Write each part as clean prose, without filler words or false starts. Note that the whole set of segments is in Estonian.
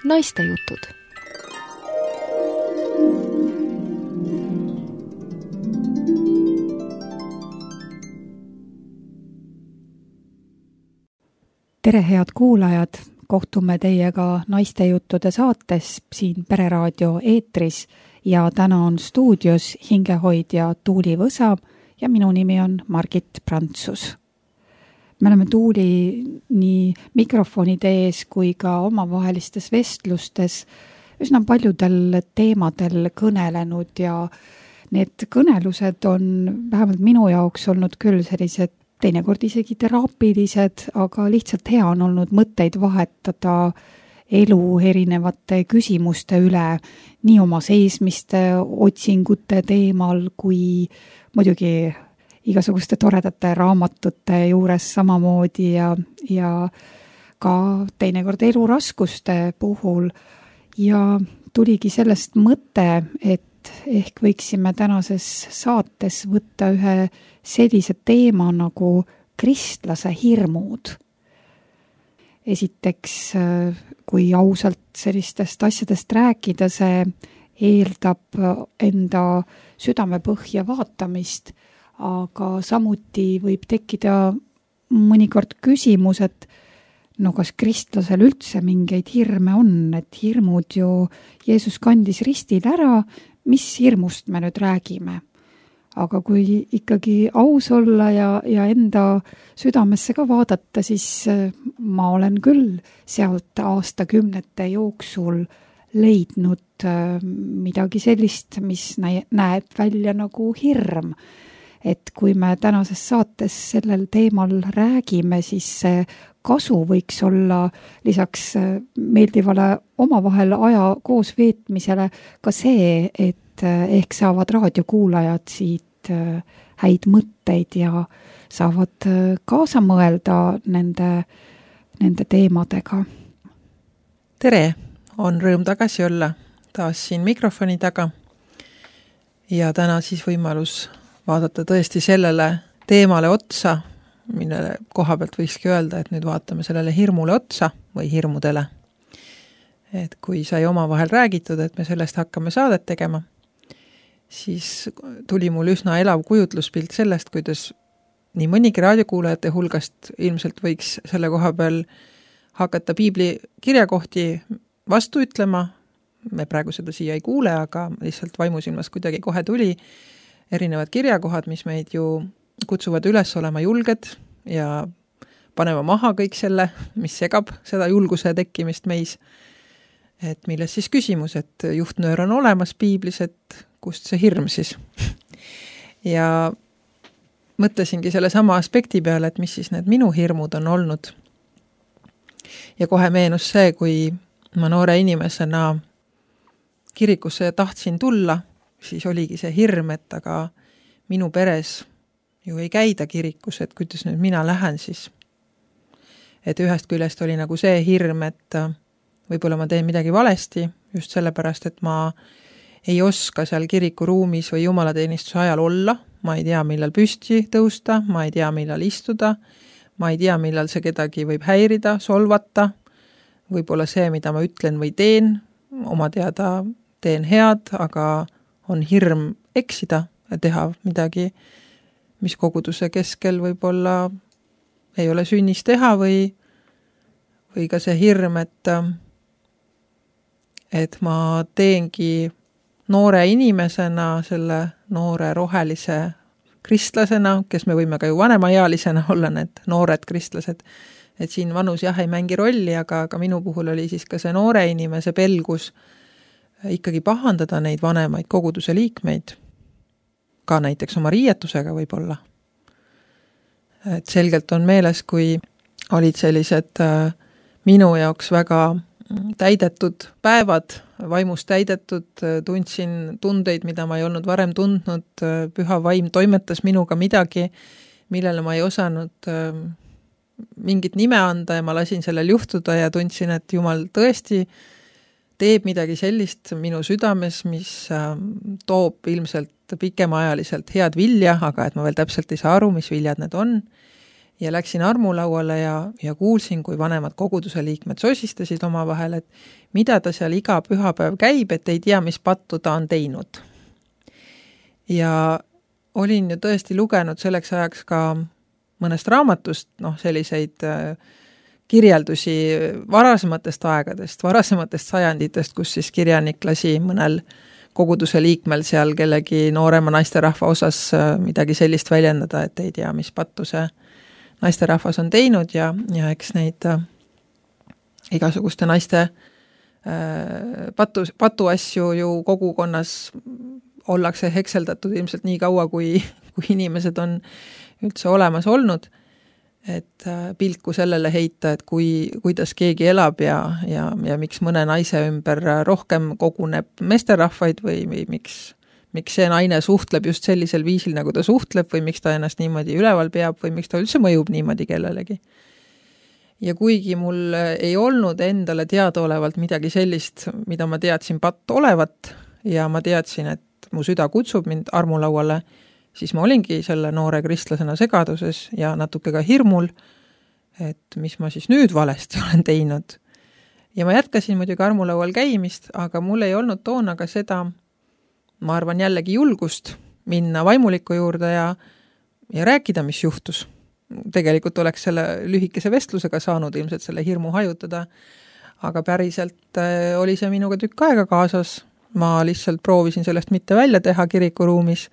Naistejutud. Tere, head kuulajad! Kohtume teiega Naistejuttude saates siin Pereraadio eetris ja täna on stuudios hingehoidja Tuuli Võsa ja minu nimi on Margit Prantsus. Me oleme Tuuli nii mikrofonide ees kui ka omavahelistes vestlustes üsna paljudel teemadel kõnelenud ja need kõnelused on vähemalt minu jaoks olnud küll sellised teinekord isegi teraapilised, aga lihtsalt hea on olnud mõtteid vahetada elu erinevate küsimuste üle, nii oma seismiste, otsingute teemal kui muidugi igasuguste toredate raamatute juures samamoodi ja ka teinekord eluraskuste puhul. Ja tuligi sellest mõte, et ehk võiksime tänases saates võtta ühe sellise teema nagu kristlase hirmud. Esiteks, kui ausalt sellistest asjadest rääkida, see eeldab enda südamepõhja vaatamist, aga samuti võib tekkida mõnikord küsimus, et kas kristlasel üldse mingeid hirme on, et hirmud ju Jeesus kandis ristil ära, mis hirmust me nüüd räägime. Aga kui ikkagi aus olla ja enda südamesse ka vaadata, siis ma olen küll sealt aastakümnete jooksul leidnud midagi sellist, mis näeb välja nagu hirm. Et kui me tänases saates sellel teemal räägime, siis see kasu võiks olla lisaks meeldivale omavahel aja koos veetmisele ka see, et ehk saavad raadiokuulajad siit häid mõtteid ja saavad kaasa mõelda nende teemadega. Tere, on rõõm tagasi olla taas siin mikrofoni taga ja täna siis võimalus vaadata tõesti sellele teemale otsa, millele koha pealt võikski öelda, et nüüd vaatame sellele hirmule otsa või hirmudele. Et kui sai omavahel räägitud, et me sellest hakkame saadet tegema, siis tuli mul üsna elav kujutluspilt sellest, kuidas nii mõnigi raadiokuulajate hulgast ilmselt võiks selle koha peal hakata piibli kirjakohti vastu ütlema. Me praegu seda siia ei kuule, aga lihtsalt vaimusilmas kuidagi kohe tuli erinevad kirjakohad, mis meid ju kutsuvad üles olema julged ja panema maha kõik selle, mis segab seda julguse tekkimist meis. Et milles siis küsimus, et juhtnöör on olemas piiblis, et kust see hirm siis. Ja mõtlesingi selle sama aspekti peale, et mis siis need minu hirmud on olnud. Ja kohe meenus see, kui ma noore inimesena kirikusse tahtsin tulla, siis oligi see hirm, et aga minu peres ju ei käida kirikus, et kuidas nüüd mina lähen siis. Et ühest küljest oli nagu see hirm, et võib-olla ma teen midagi valesti, just sellepärast, et ma ei oska seal kirikuruumis või jumalateenistuse ajal olla, ma ei tea, millal püsti tõusta, ma ei tea, millal istuda, ma ei tea, millal see kedagi võib häirida, solvata, võib-olla see, mida ma ütlen või teen, oma teada teen head, aga on hirm eksida ja teha midagi, mis koguduse keskel võib-olla ei ole sünnis teha või ka see hirm, et ma teengi noore inimesena, selle noore rohelise kristlasena, kes me võime ka ju vanemaealisena olla need noored kristlased, et siin vanus jah ei mängi rolli, aga minu puhul oli siis ka see noore inimese pelgus ikkagi pahandada neid vanemaid koguduse liikmeid, ka näiteks oma riietusega võib-olla. Et selgelt on meeles, kui olid sellised minu jaoks väga täidetud päevad, vaimust täidetud, tundsin tundeid, mida ma ei olnud varem tundnud, püha vaim toimetas minuga midagi, millele ma ei osanud mingit nime anda ja ma lasin sellel juhtuda ja tundsin, et Jumal tõesti teeb midagi sellist minu südames, mis toob ilmselt pikemaajaliselt head vilja, aga et ma veel täpselt ei saa aru, mis viljad need on. ja läksin armulauale ja kuulsin, kui vanemad koguduse liikmed sosistasid omavahel, et mida ta seal iga pühapäev käib, et ei tea, mis pattu ta on teinud. Ja olin ju tõesti lugenud selleks ajaks ka mõnest raamatust, selliseid kirjeldusi varasematest aegadest, varasematest sajanditest, kus siis kirjanik lasi mõnel koguduse liikmel seal kellegi noorema naisterahva osas midagi sellist väljendada, et ei tea, mis pattu see naisterahvas on teinud ja eks neid igasuguste naiste patuasju ju kogukonnas ollakse hekseldatud ilmselt nii kaua, kui inimesed on üldse olemas olnud, et pilku sellele heita, et kuidas keegi elab ja miks mõne naise ümber rohkem koguneb meesterahvaid või miks see naine suhtleb just sellisel viisil, nagu ta suhtleb või miks ta ennast niimoodi üleval peab või miks ta üldse mõjub niimoodi kellelegi. Ja kuigi mul ei olnud endale teadaolevalt midagi sellist, mida ma teadsin patt olevat ja ma teadsin, et mu süda kutsub mind armulauale, siis ma olingi selle noore kristlasena segaduses ja natuke ka hirmul, et mis ma siis nüüd valesti olen teinud. Ja ma jätkasin muidugi armulaual käimist, aga mul ei olnud toona ka seda, ma arvan jällegi julgust minna vaimuliku juurde ja rääkida, mis juhtus. Tegelikult oleks selle lühikese vestlusega saanud ilmselt selle hirmu hajutada, aga päriselt oli see minuga tükk aega kaasas. Ma lihtsalt proovisin sellest mitte välja teha kirikuruumis,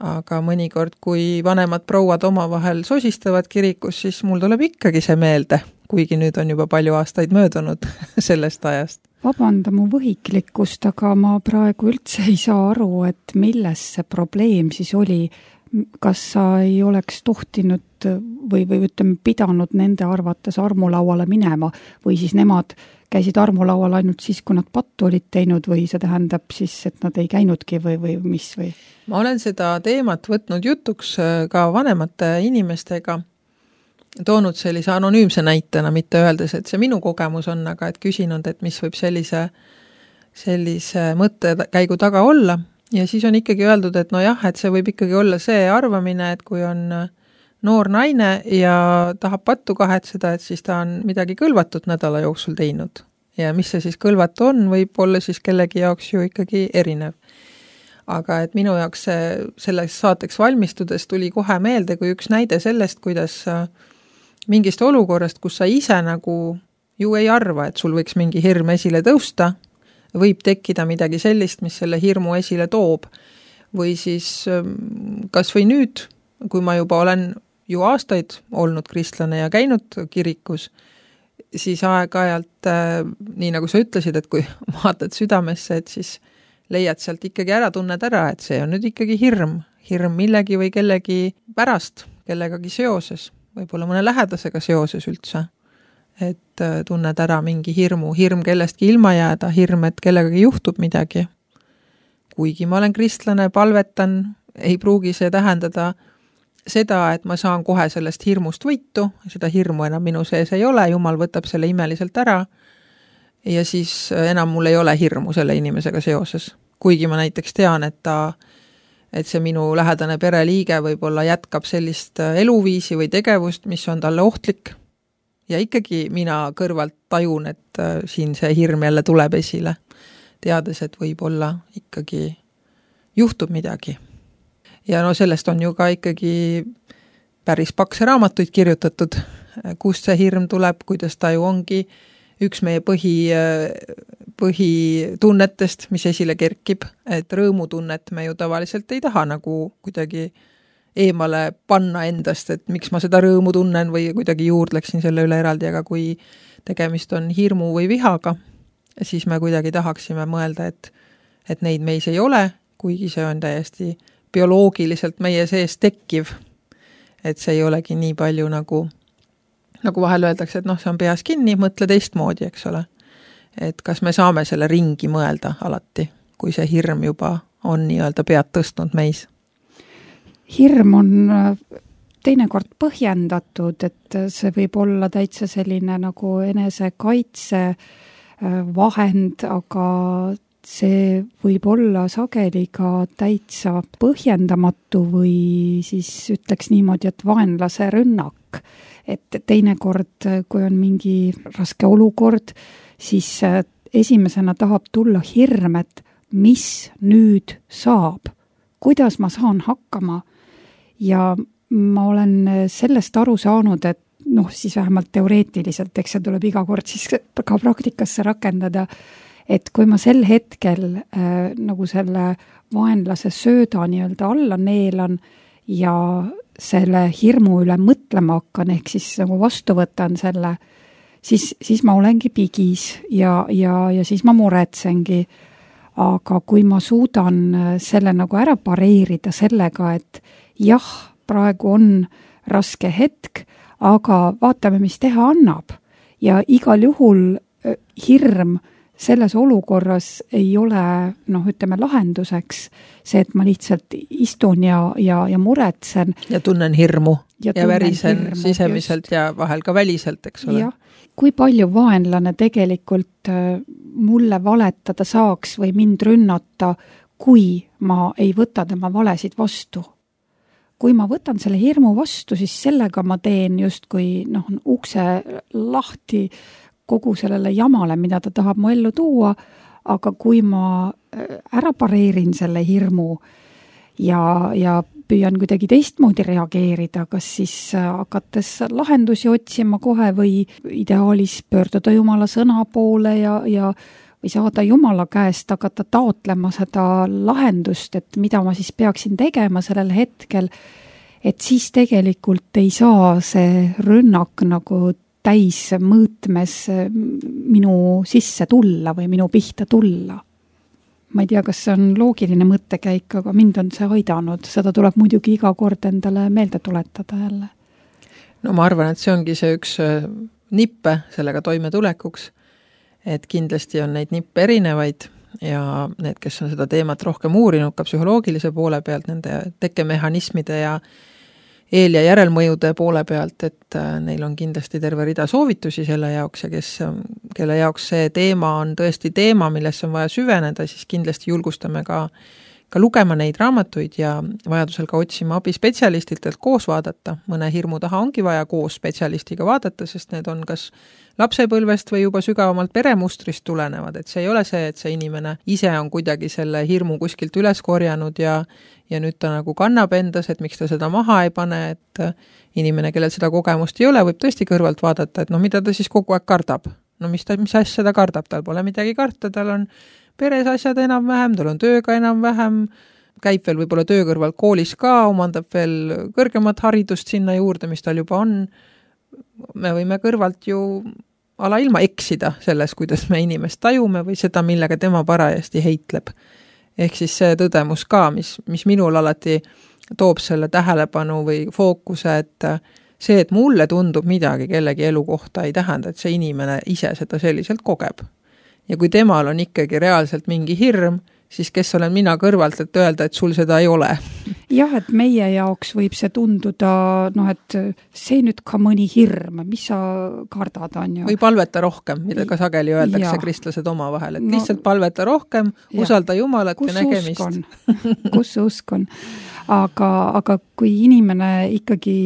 aga mõnikord, kui vanemad prouad omavahel sosistavad kirikus, siis mul tuleb ikkagi see meelde, kuigi nüüd on juba palju aastaid möödunud sellest ajast. Vabanda mu võhiklikkust, aga ma praegu üldse ei saa aru, et milles see probleem siis oli. Kas sa ei oleks tohtinud või ütleme, pidanud nende arvates armulauale minema või siis nemad käisid armulaual ainult siis, kui nad pattu olid teinud või see tähendab siis, et nad ei käinudki või mis või? Ma olen seda teemat võtnud jutuks ka vanemate inimestega, toonud sellise anonüümse näitena, mitte öeldes, et see minu kogemus on, aga et küsinud, et mis võib sellise mõttekäigu taga olla. Ja siis on ikkagi öeldud, et et see võib ikkagi olla see arvamine, et kui on noor naine ja tahab pattu kahetseda, et siis ta on midagi kõlvatut nädala jooksul teinud. Ja mis see siis kõlvatu on, võib olla siis kellegi jaoks ju ikkagi erinev. Aga et minu jaoks selleks saateks valmistudes tuli kohe meelde kui üks näide sellest, kuidas mingist olukorrast, kus sa ise nagu ju ei arva, et sul võiks mingi hirm esile tõusta, võib tekkida midagi sellist, mis selle hirmu esile toob. Või siis kas või nüüd, kui ma juba olen ju aastaid olnud kristlane ja käinud kirikus, siis aeg-ajalt, nii nagu sa ütlesid, et kui vaatad südamesse, et siis leiad sealt ikkagi tunned ära, et see on nüüd ikkagi hirm millegi või kellegi pärast, kellegagi seoses, võib-olla mõne lähedasega seoses üldse. Et tunned ära mingi hirm kellestki ilma jääda, hirm, et kellegagi juhtub midagi. Kuigi ma olen kristlane, palvetan, ei pruugi see tähendada seda, et ma saan kohe sellest hirmust võitu, seda hirmu enam minu sees ei ole, Jumal võtab selle imeliselt ära ja siis enam mul ei ole hirmu selle inimesega seoses. Kuigi ma näiteks tean, et see minu lähedane pereliige võib-olla jätkab sellist eluviisi või tegevust, mis on talle ohtlik. Ja ikkagi mina kõrvalt tajun, et siin see hirm jälle tuleb esile, teades, et võib-olla ikkagi juhtub midagi. Ja sellest on ju ka ikkagi päris pakse raamatuid kirjutatud, kust see hirm tuleb, kuidas ta ju ongi üks meie põhitunnetest, mis esile kerkib, et rõõmutunnet me ju tavaliselt ei taha nagu kuidagi eemale panna endast, et miks ma seda rõõmu tunnen või kuidagi juurdleksin selle üle eraldi, aga kui tegemist on hirmu või vihaga, siis me kuidagi tahaksime mõelda, et neid meis ei ole, kuigi see on täiesti bioloogiliselt meie sees tekkiv, et see ei olegi nii palju nagu vahel öeldakse, et see on peas kinni, mõtle teistmoodi, eks ole. Et kas me saame selle ringi mõelda alati, kui see hirm juba on nii-öelda pead tõstnud meis? Hirm on teinekord põhjendatud, et see võib olla täitsa selline nagu enesekaitse vahend, aga see võib olla sageli ka täitsa põhjendamatu või siis ütleks niimoodi, et vaenlase rünnak. Et teinekord, kui on mingi raske olukord, siis esimesena tahab tulla hirm, et mis nüüd saab, kuidas ma saan hakkama. Ja ma olen sellest aru saanud, et siis vähemalt teoreetiliselt, eks see tuleb iga kord siis ka praktikasse rakendada, et kui ma sel hetkel nagu selle vaenlase sööda nii-öelda alla neelan ja selle hirmu üle mõtlema hakkan, ehk siis nagu vastu võtan selle, siis ma olengi pigis ja siis ma muretsengi. Aga kui ma suudan selle nagu ära pareerida sellega, et jah, praegu on raske hetk, aga vaatame, mis teha annab. Ja igal juhul hirm selles olukorras ei ole, ütleme, lahenduseks see, et ma lihtsalt istun ja muretsen. Ja tunnen hirmu ja värisen sisemiselt just. Ja vahel ka väliselt, eks ole. Jah. Kui palju vaenlane tegelikult mulle valetada saaks või mind rünnata, kui ma ei võta tema valesid vastu? Kui ma võtan selle hirmu vastu, siis sellega ma teen justkui ukse lahti kogu sellele jamale, mida ta tahab mu ellu tuua, aga kui ma ära pareerin selle hirmu ja püüan kuidagi teistmoodi reageerida, kas siis hakates lahendusi otsima kohe või ideaalis pöörduda Jumala sõna poole ja või saada Jumala käest hakata taotlema seda lahendust, et mida ma siis peaksin tegema sellel hetkel, et siis tegelikult ei saa see rünnak nagu täis mõõtmes minu sisse tulla või minu pihta tulla. Ma ei tea, kas see on loogiline mõttekäik, aga mind on see aidanud. Seda tuleb muidugi iga kord endale meelde tuletada jälle. No ma arvan, et see ongi see üks nippe sellega toimetulekuks, et kindlasti on neid nippe erinevaid ja need, kes on seda teemat rohkem uurinud ka psühholoogilise poole pealt, nende tekkemehhanismide ja eel- ja järelmõjude poole pealt, et neil on kindlasti terve rida soovitusi selle jaoks ja kelle jaoks see teema on tõesti teema, millesse on vaja süveneda, siis kindlasti julgustame ka lugema neid raamatuid ja vajadusel ka otsima abi spetsialistilt, et koos vaadata. Mõne hirmu taha ongi vaja koos spetsialistiga vaadata, sest need on kas lapsepõlvest või juba sügavamalt peremustrist tulenevad, et see ei ole see, et see inimene ise on kuidagi selle hirmu kuskilt üles korjanud ja nüüd ta nagu kannab endas, et miks ta seda maha ei pane, et inimene, kellel seda kogemust ei ole, võib tõesti kõrvalt vaadata, et mida ta siis kogu aeg kardab. Mis asja ta kardab, tal pole midagi karta, tal on peres asjad enam-vähem, tal on tööga enam-vähem, käib veel võib-olla töö kõrval koolis ka, omandab veel kõrgemat haridust sinna juurde, mis tal juba on. Me võime kõrvalt ju alailma eksida selles, kuidas me inimest tajume või seda, millega tema parajasti heitleb. Ehk siis see tõdemus ka, mis minul alati toob selle tähelepanu või fookuse, et see, et mulle tundub midagi kellegi elu kohta, ei tähenda, et see inimene ise seda selliselt kogeb. Ja kui temal on ikkagi reaalselt mingi hirm, siis kes olen mina kõrvalt, et öelda, et sul seda ei ole. Jah, et meie jaoks võib see tunduda, et see nüüd ka mõni hirm, mis sa kardad on ju. Või palveta rohkem, mida ka sageli öeldakse kristlased omavahel, et lihtsalt palveta rohkem, usalda Jumalat ja nägemist. Kus usk on? Aga kui inimene ikkagi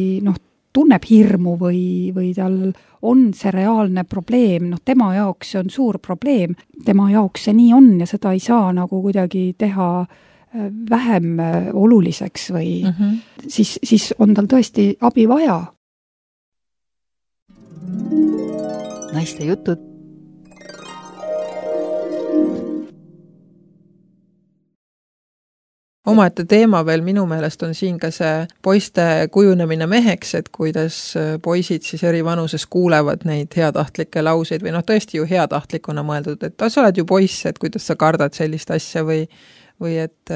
tunneb hirmu või tal on see reaalne probleem, tema jaoks see on suur probleem, tema jaoks see nii on ja seda ei saa nagu kuidagi teha vähem oluliseks või siis on tal tõesti abi vaja. Naiste jutud. Omaette teema veel minu meelest on siin ka see poiste kujunemine meheks, et kuidas poisid siis eri vanuses kuulevad neid heatahtlikke lauseid või tõesti ju heatahtlikuna mõeldud, et sa oled ju poiss, et kuidas sa kardad sellist asja või et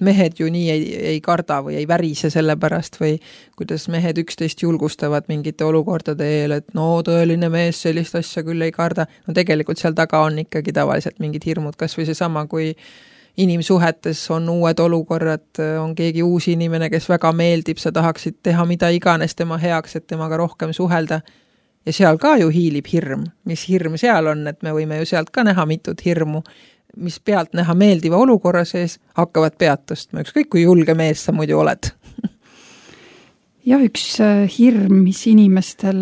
mehed ju nii ei karda või ei värise selle pärast või kuidas mehed üksteist julgustavad mingite olukordade eel, et tõeline mees sellist asja küll ei karda. Tegelikult seal taga on ikkagi tavaliselt mingid hirmud, kas või seesama, kui inimsuhetes on uued olukorrad, on keegi uus inimene, kes väga meeldib, sa tahaksid teha mida iganes tema heaks, et temaga rohkem suhelda. Ja seal ka ju hiilib hirm. Mis hirm seal on, et me võime ju sealt ka näha mitut hirmu. mis pealt näha meeldiva olukorra sees, hakkavad pead tõstma, ükskõik kui julge mees sa muidu oled. Ja üks hirm, mis inimestel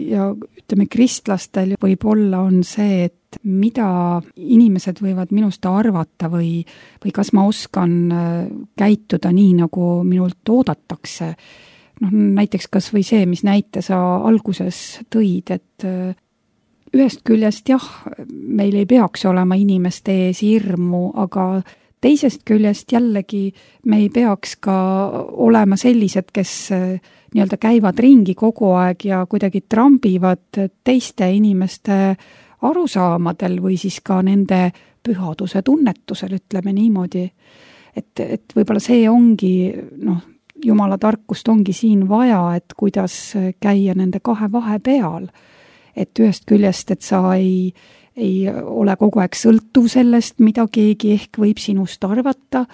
ja ütleme kristlastel võib olla, on see, et mida inimesed võivad minust arvata või kas ma oskan käituda nii, nagu minult oodatakse. Näiteks kas või see, mis näite sa alguses tõid, et ühest küljest jah, meil ei peaks olema inimeste ees hirmu, aga teisest küljest jällegi me ei peaks ka olema sellised, kes nii-öelda käivad ringi kogu aeg ja kuidagi trambivad teiste inimeste arusaamadel või siis ka nende pühaduse tunnetusel, ütleme niimoodi. Et võib-olla see ongi, Jumala tarkust ongi siin vaja, et kuidas käia nende kahe vahe peal. Et ühest küljest, et sa ei ole kogu aeg sõltuv sellest, mida keegi ehk võib sinust arvata,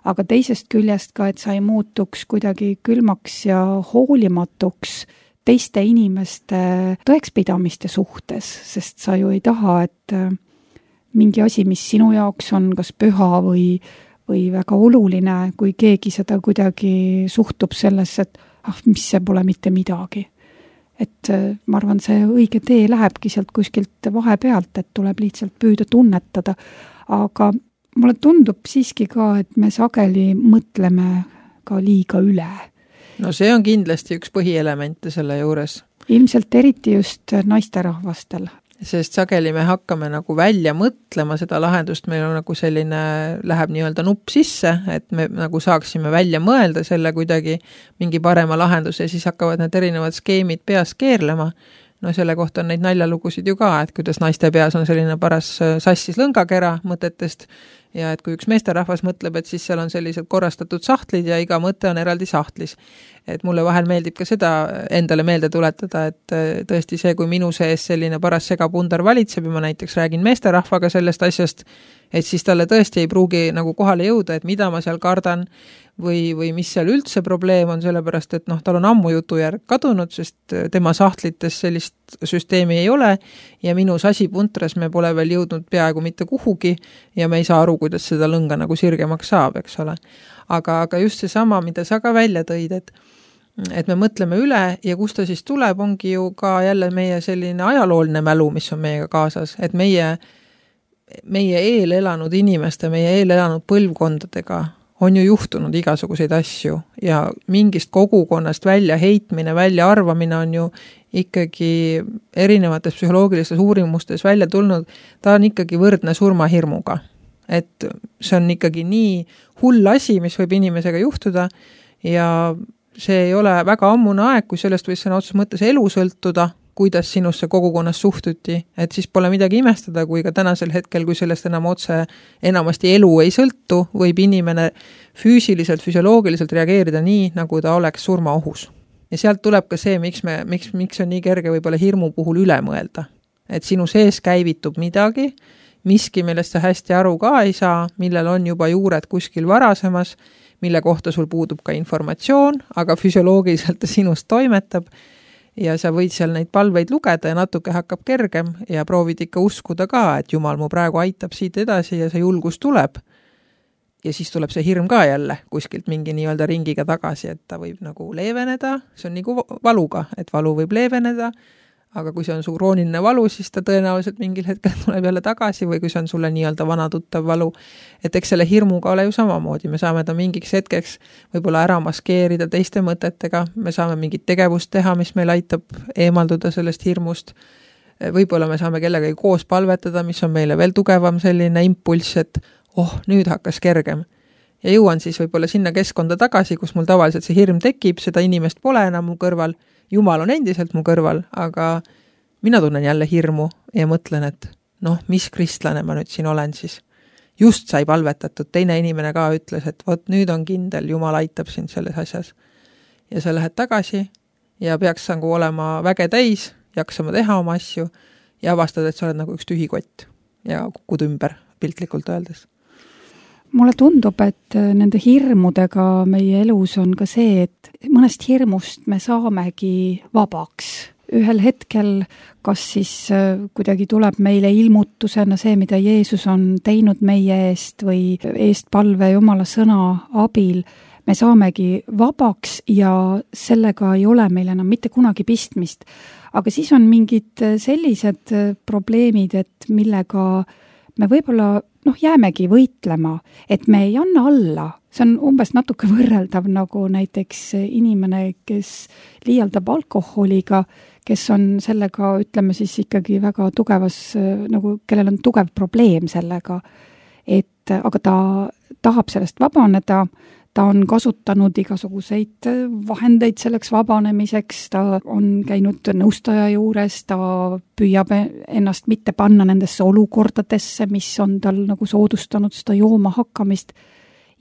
aga teisest küljest ka, et sa ei muutuks kuidagi külmaks ja hoolimatuks teiste inimeste tõekspidamiste suhtes, sest sa ju ei taha, et mingi asi, mis sinu jaoks on kas püha või väga oluline, kui keegi seda kuidagi suhtub sellesse, et mis see pole mitte midagi. Et ma arvan, see õige tee lähebki sealt kuskilt vahepealt, et tuleb lihtsalt püüda tunnetada. Aga mulle tundub siiski ka, et me sageli mõtleme ka liiga üle. No see on kindlasti üks põhielemente selle juures. Ilmselt eriti just naisterahvastel. Sest sageli me hakkame nagu välja mõtlema seda lahendust, meil on nagu selline, läheb nii-öelda nupp sisse, et me nagu saaksime välja mõelda selle kuidagi mingi parema lahenduse ja siis hakkavad need erinevad skeemid peas keerlema. No selle kohta on neid naljalugusid ju ka, et kuidas naiste peas on selline paras sassis lõngakera mõtetest ja et kui üks meesterahvas mõtleb, et siis seal on sellised korrastatud sahtlid ja iga mõte on eraldi sahtlis. Et mulle vahel meeldib ka seda endale meelde tuletada, et tõesti see, kui minu sees selline paras segapundar valitseb ja ma näiteks räägin meesterahvaga sellest asjast, et siis talle tõesti ei pruugi nagu kohale jõuda, et mida ma seal kardan või mis seal üldse probleem on, sellepärast et tal on ammu jutujärg kadunud, sest tema sahtlites sellist süsteemi ei ole ja minu sasipuntras me pole veel jõudnud peaaegu mitte kuhugi ja me ei saa aru, kuidas seda lõnga nagu sirgemaks saab, eks ole. Aga just see sama, mida sa ka välja tõid, et me mõtleme üle ja kust ta siis tuleb, ongi ju ka jälle meie selline ajalooline mälu, mis on meiega kaasas, et meie eelelanud inimeste, meie eelelanud põlvkondadega on ju juhtunud igasuguseid asju ja mingist kogukonnast välja heitmine, välja arvamine on ju ikkagi erinevates psühholoogilistes uurimustes välja tulnud, ta on ikkagi võrdne surmahirmuga. Et see on ikkagi nii hull asi, mis võib inimesega juhtuda ja see ei ole väga ammune aeg, kui sellest võis sõna otseses mõttes elu sõltuda, kuidas sinusse kogukonnas suhtuti, et siis pole midagi imestada, kui ka tänasel hetkel, kui sellest enamasti elu ei sõltu, võib inimene füüsiliselt, füsioloogiliselt reageerida nii, nagu ta oleks surmaohus. Ja sealt tuleb ka see, miks on nii kerge võib-olla hirmu puhul üle mõelda. Et sinu sees käivitub midagi, miski, millest sa hästi aru ka ei saa, millel on juba juured kuskil varasemas, mille kohta sul puudub ka informatsioon, aga füsioloogiliselt ta sinust toimetab ja sa võid seal neid palveid lugeda ja natuke hakkab kergem ja proovid ikka uskuda ka, et Jumal mu praegu aitab siit edasi ja see julgus tuleb. Ja siis tuleb see hirm ka jälle kuskilt mingi nii-öelda ringiga tagasi, et ta võib nagu leeveneda, see on nagu valuga, et valu võib leeveneda, aga kui see on su krooniline valu, siis ta tõenäoliselt mingil hetkel tuleb jälle tagasi või kui see on sulle nii-öelda vana tuttav valu. Et eks selle hirmuga ole ju samamoodi, me saame ta mingiks hetkeks võib-olla ära maskeerida teiste mõtetega, me saame mingit tegevust teha, mis meil aitab eemalduda sellest hirmust. Võib-olla me saame kellegagi koos palvetada, mis on meile veel tugevam selline impulss, et nüüd hakkas kergem. Ja jõuan siis võib-olla sinna keskkonda tagasi, kus mul tavaliselt see hirm tekib, seda inimest pole enam mu kõrval, Jumal on endiselt mu kõrval, aga mina tunnen jälle hirmu ja mõtlen, et mis kristlane ma nüüd siin olen siis. Just sai palvetatud, teine inimene ka ütles, et nüüd on kindel, Jumal aitab sind selles asjas. Ja sa lähed tagasi ja peaks nagu olema väge täis, jaksama teha oma asju ja avastad, et sa oled nagu üks tühikott ja kukud ümber, piltlikult öeldes. Mulle tundub, et nende hirmudega meie elus on ka see, et mõnest hirmust me saamegi vabaks. ühel hetkel kas siis kuidagi tuleb meile ilmutusena see, mida Jeesus on teinud meie eest või eestpalve Jumala sõna abil, me saamegi vabaks ja sellega ei ole meil enam mitte kunagi pistmist. Aga siis on mingid sellised probleemid, et millega me võib-olla jäämegi võitlema, et me ei anna alla. See on umbes natuke võrreldav nagu näiteks inimene, kes liialdab alkoholiga, kes on sellega, ütleme siis ikkagi väga tugevas, nagu kellel on tugev probleem sellega, aga ta tahab sellest vabaneda, ta on kasutanud igasuguseid vahendeid selleks vabanemiseks, ta on käinud nõustaja juures, ta püüab ennast mitte panna nendesse olukordadesse, mis on tal nagu soodustanud seda jooma hakkamist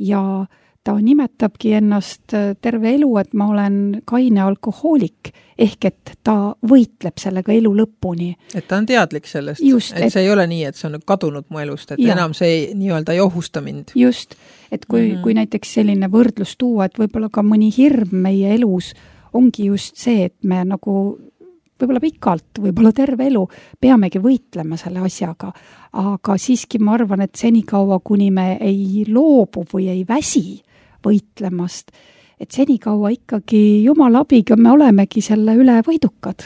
ja ta nimetabki ennast terve elu, et ma olen kaine alkohoolik, ehk et ta võitleb sellega elu lõpuni. Et ta on teadlik sellest, et see ei ole nii, et see on kadunud mu elust, et enam see nii-öelda ei ohusta mind. Just, et kui näiteks selline võrdlus tuua, et võib-olla ka mõni hirm meie elus ongi just see, et me nagu võib-olla pikalt, võib-olla terve elu peamegi võitlema selle asjaga, aga siiski ma arvan, et senikaua, kuni me ei loobu või ei väsi võitlemast, et senikaua ikkagi Jumala abiga me olemegi selle üle võidukad.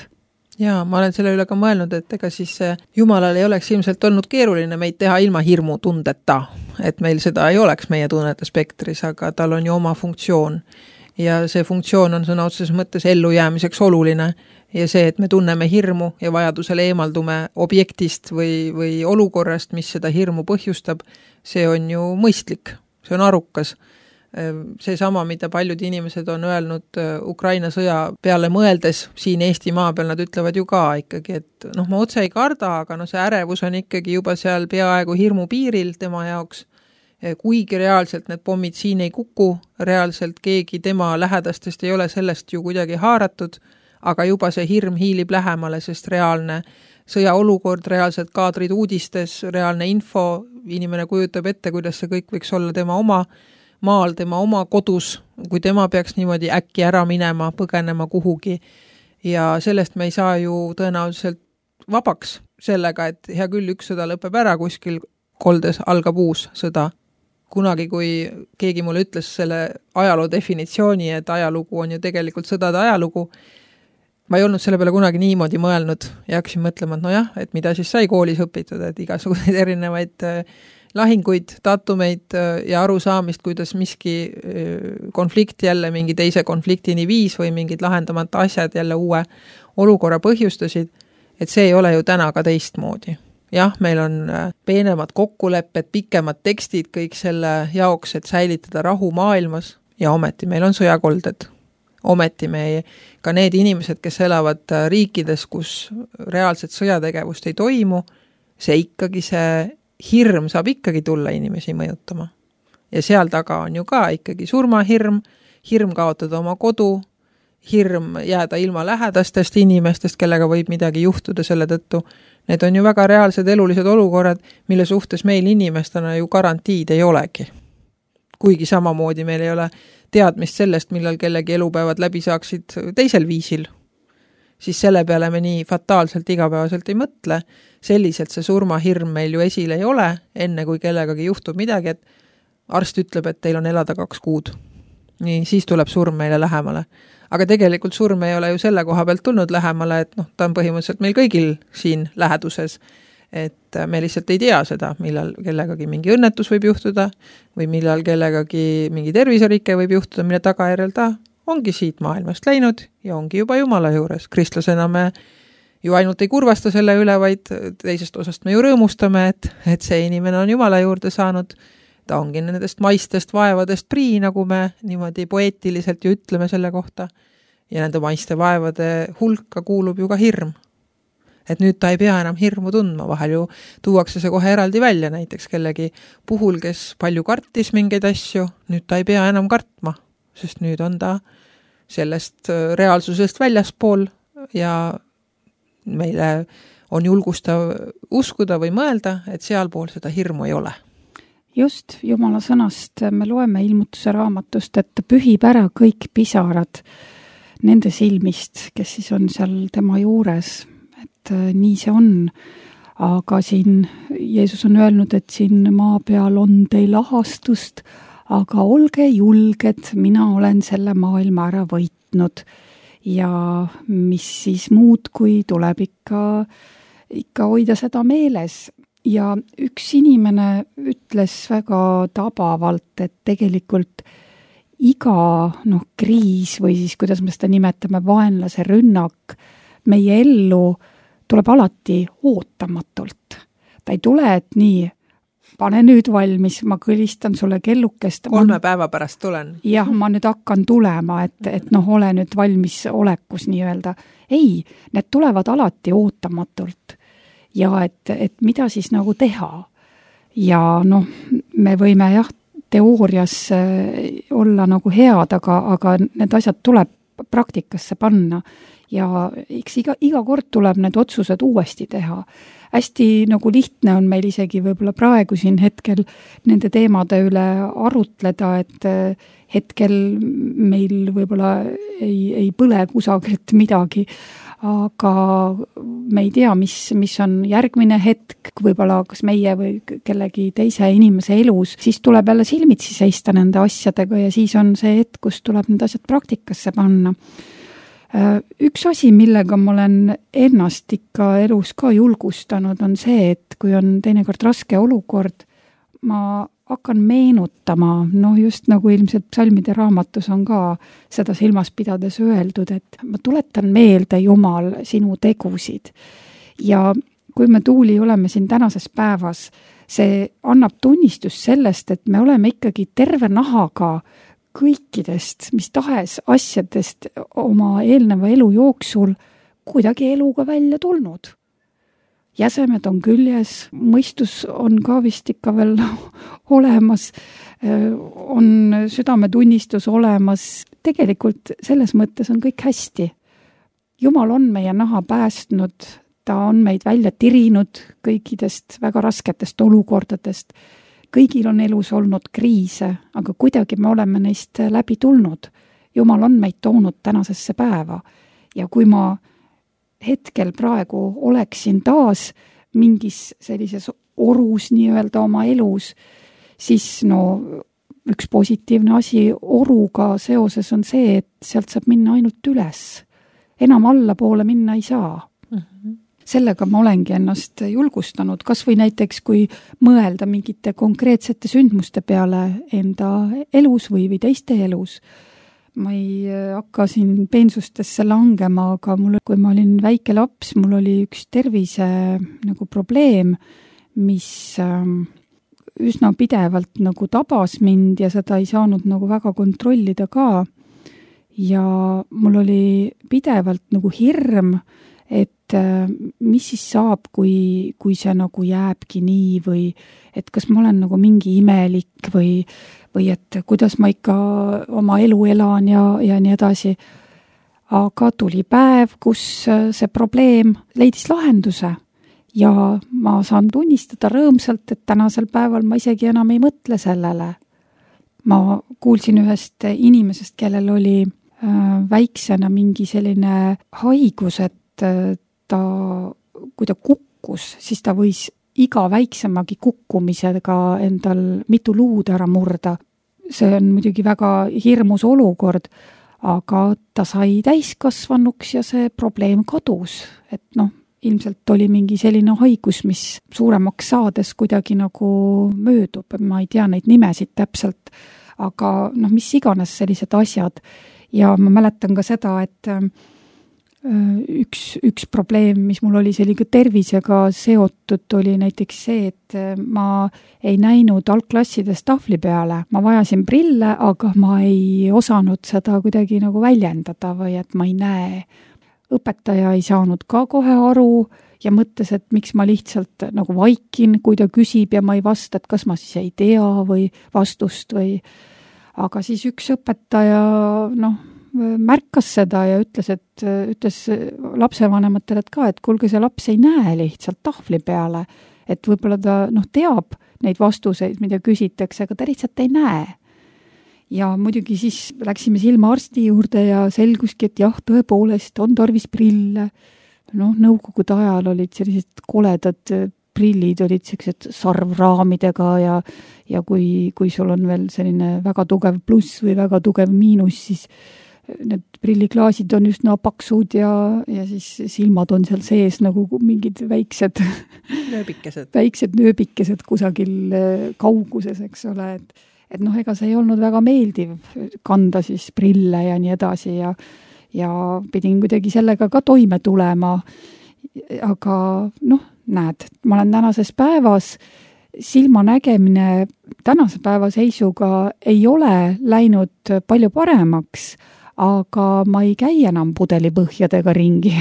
Jaa, ma olen selle üle ka mõelnud, et ega siis Jumalal ei oleks ilmselt olnud keeruline meid teha ilma hirmu tundeta, et meil seda ei oleks meie tunnete spektris, aga tal on ju oma funktsioon ja see funktsioon on sõna otseses mõttes ellujäämiseks oluline ja see, et me tunneme hirmu ja vajadusel eemaldume objektist või olukorrast, mis seda hirmu põhjustab, see on ju mõistlik, see on arukas. See sama, mida paljud inimesed on öelnud Ukraina sõja peale mõeldes siin Eesti maa peal, nad ütlevad ju ka ikkagi, et ma otse ei karda, aga see ärevus on ikkagi juba seal peaaegu hirmu piiril tema jaoks, kuigi reaalselt need pommid siin ei kuku, reaalselt keegi tema lähedastest ei ole sellest ju kuidagi haaratud, aga juba see hirm hiilib lähemale, sest reaalne sõjaolukord, reaalsed kaadrid uudistes, reaalne info, inimene kujutab ette, kuidas see kõik võiks olla tema oma maal, tema oma kodus, kui tema peaks niimoodi äkki ära minema, põgenema kuhugi. Ja sellest me ei saa ju tõenäoliselt vabaks sellega, et hea küll, üks sõda lõpeb ära, kuskil koldes algab uus sõda. Kunagi, kui keegi mulle ütles selle ajaloo definitsiooni, et ajalugu on ju tegelikult sõdade ajalugu, ma ei olnud selle peale kunagi niimoodi mõelnud ja hakkasin mõtlema, et et mida siis sai koolis õpitud, et igasuguseid erinevaid lahinguid, datumeid ja arusaamist, kuidas miski konflikt jälle mingi teise konfliktini viis või mingid lahendamata asjad jälle uue olukorra põhjustasid, et see ei ole ju täna ka teistmoodi. Jah, meil on peenemad kokkulepped, pikemad tekstid kõik selle jaoks, et säilitada rahu maailmas ja ometi meil on sõjakolded. Ometi ka need inimesed, kes elavad riikides, kus reaalset sõjategevust ei toimu, see ikkagi see hirm saab ikkagi tulla inimesi mõjutama. Ja seal taga on ju ka ikkagi surmahirm, hirm kaotada oma kodu, hirm jääda ilma lähedastest inimestest, kellega võib midagi juhtuda selle tõttu. Need on ju väga reaalsed elulised olukorrad, mille suhtes meil inimestena ju garantiid ei olegi. Kuigi samamoodi meil ei ole teadmist sellest, millal kellegi elupäevad läbi saaksid teisel viisil, siis selle peale me nii fataalselt igapäevaselt ei mõtle. Selliselt see surmahirm meil ju esile ei ole, enne kui kellegagi juhtub midagi, et arst ütleb, et teil on elada 2 kuud. Nii, siis tuleb surm meile lähemale. Aga tegelikult surm ei ole ju selle koha pealt tulnud lähemale, et ta on põhimõtteliselt meil kõigil siin läheduses, et me lihtsalt ei tea seda, millal kellegagi mingi õnnetus võib juhtuda või millal kellegagi mingi terviserike võib juhtuda, mille tagajärjel ta ongi siit maailmast läinud ja ongi juba Jumala juures. Kristlasena me ju ainult ei kurvasta selle üle, vaid teisest osast me ju rõõmustame, et see inimene on Jumala juurde saanud. Ta ongi nendest maistest vaevadest prii, nagu me niimoodi poeetiliselt ju ütleme selle kohta. Ja nende maiste vaevade hulka kuulub ju ka hirm. Et nüüd ta ei pea enam hirmu tundma, vahel ju tuuakse see kohe eraldi välja, näiteks kellegi puhul, kes palju kartis mingeid asju, nüüd ta ei pea enam kartma, sest nüüd on ta sellest reaalsusest väljaspool ja meile on julgustav uskuda või mõelda, et sealpool seda hirmu ei ole. Just, Jumala sõnast me loeme ilmutuse raamatust, et pühib ära kõik pisarad. nende silmist, kes siis on seal tema juures, et nii see on. Aga siin Jeesus on öelnud, et siin maa peal on teil ahastust, aga olge julged, mina olen selle maailma ära võitnud. Ja mis siis muud, kui tuleb ikka hoida seda meeles. Ja üks inimene ütles väga tabavalt, et tegelikult iga kriis või siis, kuidas me seda nimetame, vaenlase rünnak meie ellu tuleb alati ootamatult. Ta ei tule, et nii, pane nüüd valmis, ma kõlistan sulle kellukest. 3 päeva pärast tulen. Jah, ma nüüd hakkan tulema, et ole nüüd valmis olekus nii-öelda. Ei, need tulevad alati ootamatult. Ja et mida siis nagu teha. Ja me võime teoorias olla nagu head, aga need asjad tuleb praktikasse panna. Ja eks iga kord tuleb need otsused uuesti teha. Hästi nagu lihtne on meil isegi võib-olla praegu siin hetkel nende teemade üle arutleda, et hetkel meil võib-olla ei põle kusagilt midagi, aga me ei tea, mis on järgmine hetk, võib-olla kas meie või kellegi teise inimese elus, siis tuleb jälle silmitsi seista nende asjadega ja siis on see hetk, kus tuleb need asjad praktikasse panna. Üks asi, millega ma olen ennast ikka elus ka julgustanud, on see, et kui on teinekord raske olukord, ma hakkan meenutama, just nagu ilmselt psalmide raamatus on ka seda silmas pidades öeldud, et ma tuletan meelde, Jumal, sinu tegusid. Ja kui me Tuuli oleme siin tänases päevas, see annab tunnistus sellest, et me oleme ikkagi terve nahaga kõikidest, mis tahes asjadest oma eelneva elu jooksul kuidagi eluga välja tulnud. Jäsemed on küljes, mõistus on ka vist ikka veel olemas, on südametunnistus olemas. Tegelikult selles mõttes on kõik hästi. Jumal on meie naha päästnud, ta on meid välja tirinud kõikidest väga rasketest olukordadest. Kõigil on elus olnud kriise, aga kuidagi me oleme neist läbi tulnud. Jumal on meid toonud tänasesse päeva. Ja kui ma hetkel praegu oleksin taas mingis sellises orus nii-öelda oma elus, siis üks positiivne asi oruga seoses on see, et sealt saab minna ainult üles. Enam allapoole minna ei saa. Sellega ma olengi ennast julgustanud, kas või näiteks, kui mõelda mingite konkreetsete sündmuste peale enda elus või teiste elus. Ma ei hakka siin peensustesse langema, aga kui ma olin väike laps, mul oli üks tervise nagu probleem, mis üsna pidevalt nagu tabas mind ja seda ei saanud nagu väga kontrollida ka. Ja mul oli pidevalt nagu hirm, et mis siis saab, kui see nagu jääbki nii või et kas ma olen nagu mingi imelik või et kuidas ma ikka oma elu elan ja nii edasi. Aga tuli päev, kus see probleem leidis lahenduse ja ma saan tunnistada rõõmsalt, et tänasel päeval ma isegi enam ei mõtle sellele. Ma kuulsin ühest inimesest, kellel oli väiksena mingi selline haigus, et kui ta kukkus, siis ta võis iga väiksemagi kukkumisega endal mitu luud ära murda. See on muidugi väga hirmus olukord, aga ta sai täiskasvanuks ja see probleem kadus. Et ilmselt oli mingi selline haigus, mis suuremaks saades kuidagi nagu möödub. Ma ei tea neid nimesid täpselt, aga mis iganes sellised asjad. Ja ma mäletan ka seda, et üks probleem, mis mul oli sellega tervisega seotud, oli näiteks see, et ma ei näinud algklassides tahvli peale. Ma vajasin prille, aga ma ei osanud seda kuidagi nagu väljendada või et ma ei näe. Õpetaja ei saanud ka kohe aru ja mõtles, et miks ma lihtsalt nagu vaikin, kui ta küsib ja ma ei vasta, et kas ma siis ei tea või vastust või. Aga siis üks õpetaja märkas seda ja ütles lapsevanematele, et ka, et kuulge, see laps ei näe lihtsalt tahvli peale, et võib-olla ta teab neid vastuseid, mida küsitakse, aga ta lihtsalt ei näe. ja muidugi siis läksime silmaarsti juurde ja selguski, et jah, tõepoolest on tarvis prille. Nõukogude ajal olid sellised koledad prillid, olid sellised sarvraamidega ja kui sul on veel selline väga tugev pluss või väga tugev miinus, siis need prilliklaasid on üsna paksud ja siis silmad on seal sees nagu mingid väiksed nööbikesed kusagil kauguses, eks ole, et ega see ei olnud väga meeldiv kanda siis prille ja nii edasi ja pidin kuidagi sellega ka toime tulema. Aga näed, ma olen tänases päevas, silmanägemine tänase päeva seisuga ei ole läinud palju paremaks, aga ma ei käi enam pudelipõhjadega ringi.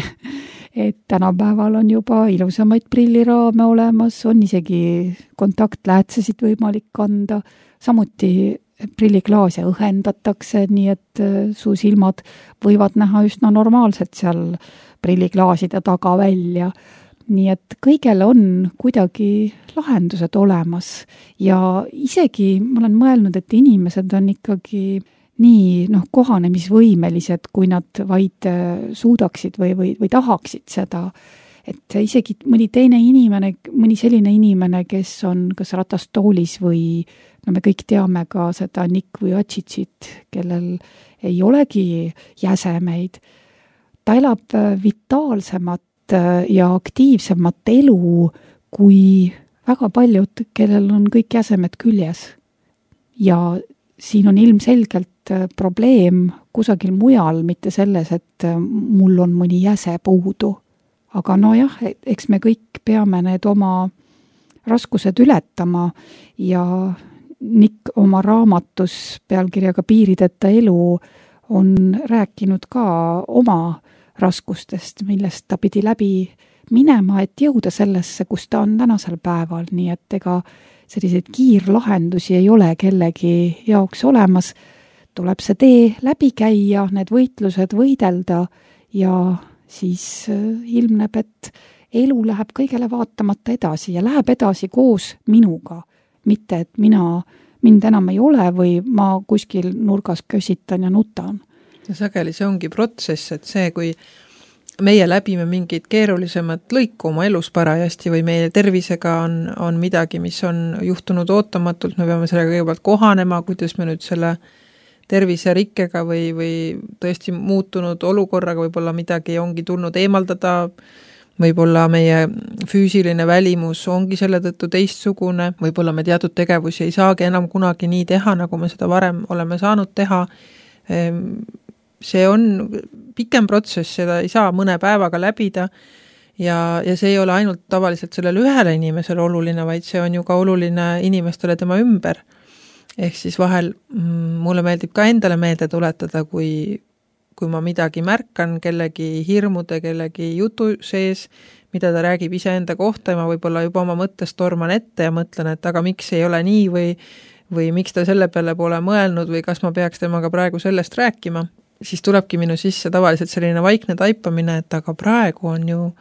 Et tänapäeval on juba ilusamaid prilliraame olemas, on isegi kontaktläätsesid võimalik kanda, samuti prilliklaase õhendatakse, nii et su silmad võivad näha üsna normaalselt seal prilliklaaside taga välja. Nii et kõigel on kuidagi lahendused olemas ja isegi ma olen mõelnud, et inimesed on ikkagi nii kohanemisvõimelised, kui nad vaid suudaksid või tahaksid seda. Et isegi mõni selline inimene, kes on kas ratastoolis või me kõik teame ka seda Nick Vujicicit, kellel ei olegi jäsemeid. Ta elab vitaalsemat ja aktiivsemat elu kui väga paljud, kellel on kõik jäsemed küljes. Ja siin on ilmselgelt probleem kusagil mujal, mitte selles, et mul on mõni jäse puudu. Aga eks me kõik peame need oma raskused ületama ja Nick oma raamatus pealkirjaga Piirideta elu on rääkinud ka oma raskustest, millest ta pidi läbi minema, et jõuda sellesse, kus ta on tänasel päeval, nii et ega selliseid kiirlahendusi ei ole kellegi jaoks olemas. Tuleb see tee läbi käia, need võitlused võidelda ja siis ilmneb, et elu läheb kõigele vaatamata edasi ja läheb edasi koos minuga. Mitte, et mind enam ei ole või ma kuskil nurgas kösitan ja nutan. Ja sageli see ongi protsess, et see, kui meie läbime mingid keerulisemat lõiku oma elus parajasti või meie tervisega on midagi, mis on juhtunud ootamatult, me peame sellega kõigepealt kohanema, kuidas me nüüd selle terviserikkega või tõesti muutunud olukorraga võib-olla midagi ongi tulnud eemaldada, võib-olla meie füüsiline välimus ongi selle tõttu teistsugune, võib-olla me teatud tegevusi ei saagi enam kunagi nii teha, nagu me seda varem oleme saanud teha. See on pikem protsess, seda ei saa mõne päevaga läbida ja see ei ole ainult tavaliselt sellele ühele inimesele oluline, vaid see on ju ka oluline inimestele tema ümber. Ehk siis vahel mulle meeldib ka endale meelde tuletada, kui ma midagi märkan kellegi hirmude, kellegi jutu sees, mida ta räägib iseenda kohta ja ma võib-olla juba oma mõttes torman ette ja mõtlen, et aga miks ei ole nii või miks ta selle peale pole mõelnud või kas ma peaks temaga praegu sellest rääkima, siis tulebki minu sisse tavaliselt selline vaikne taipamine, et aga praegu on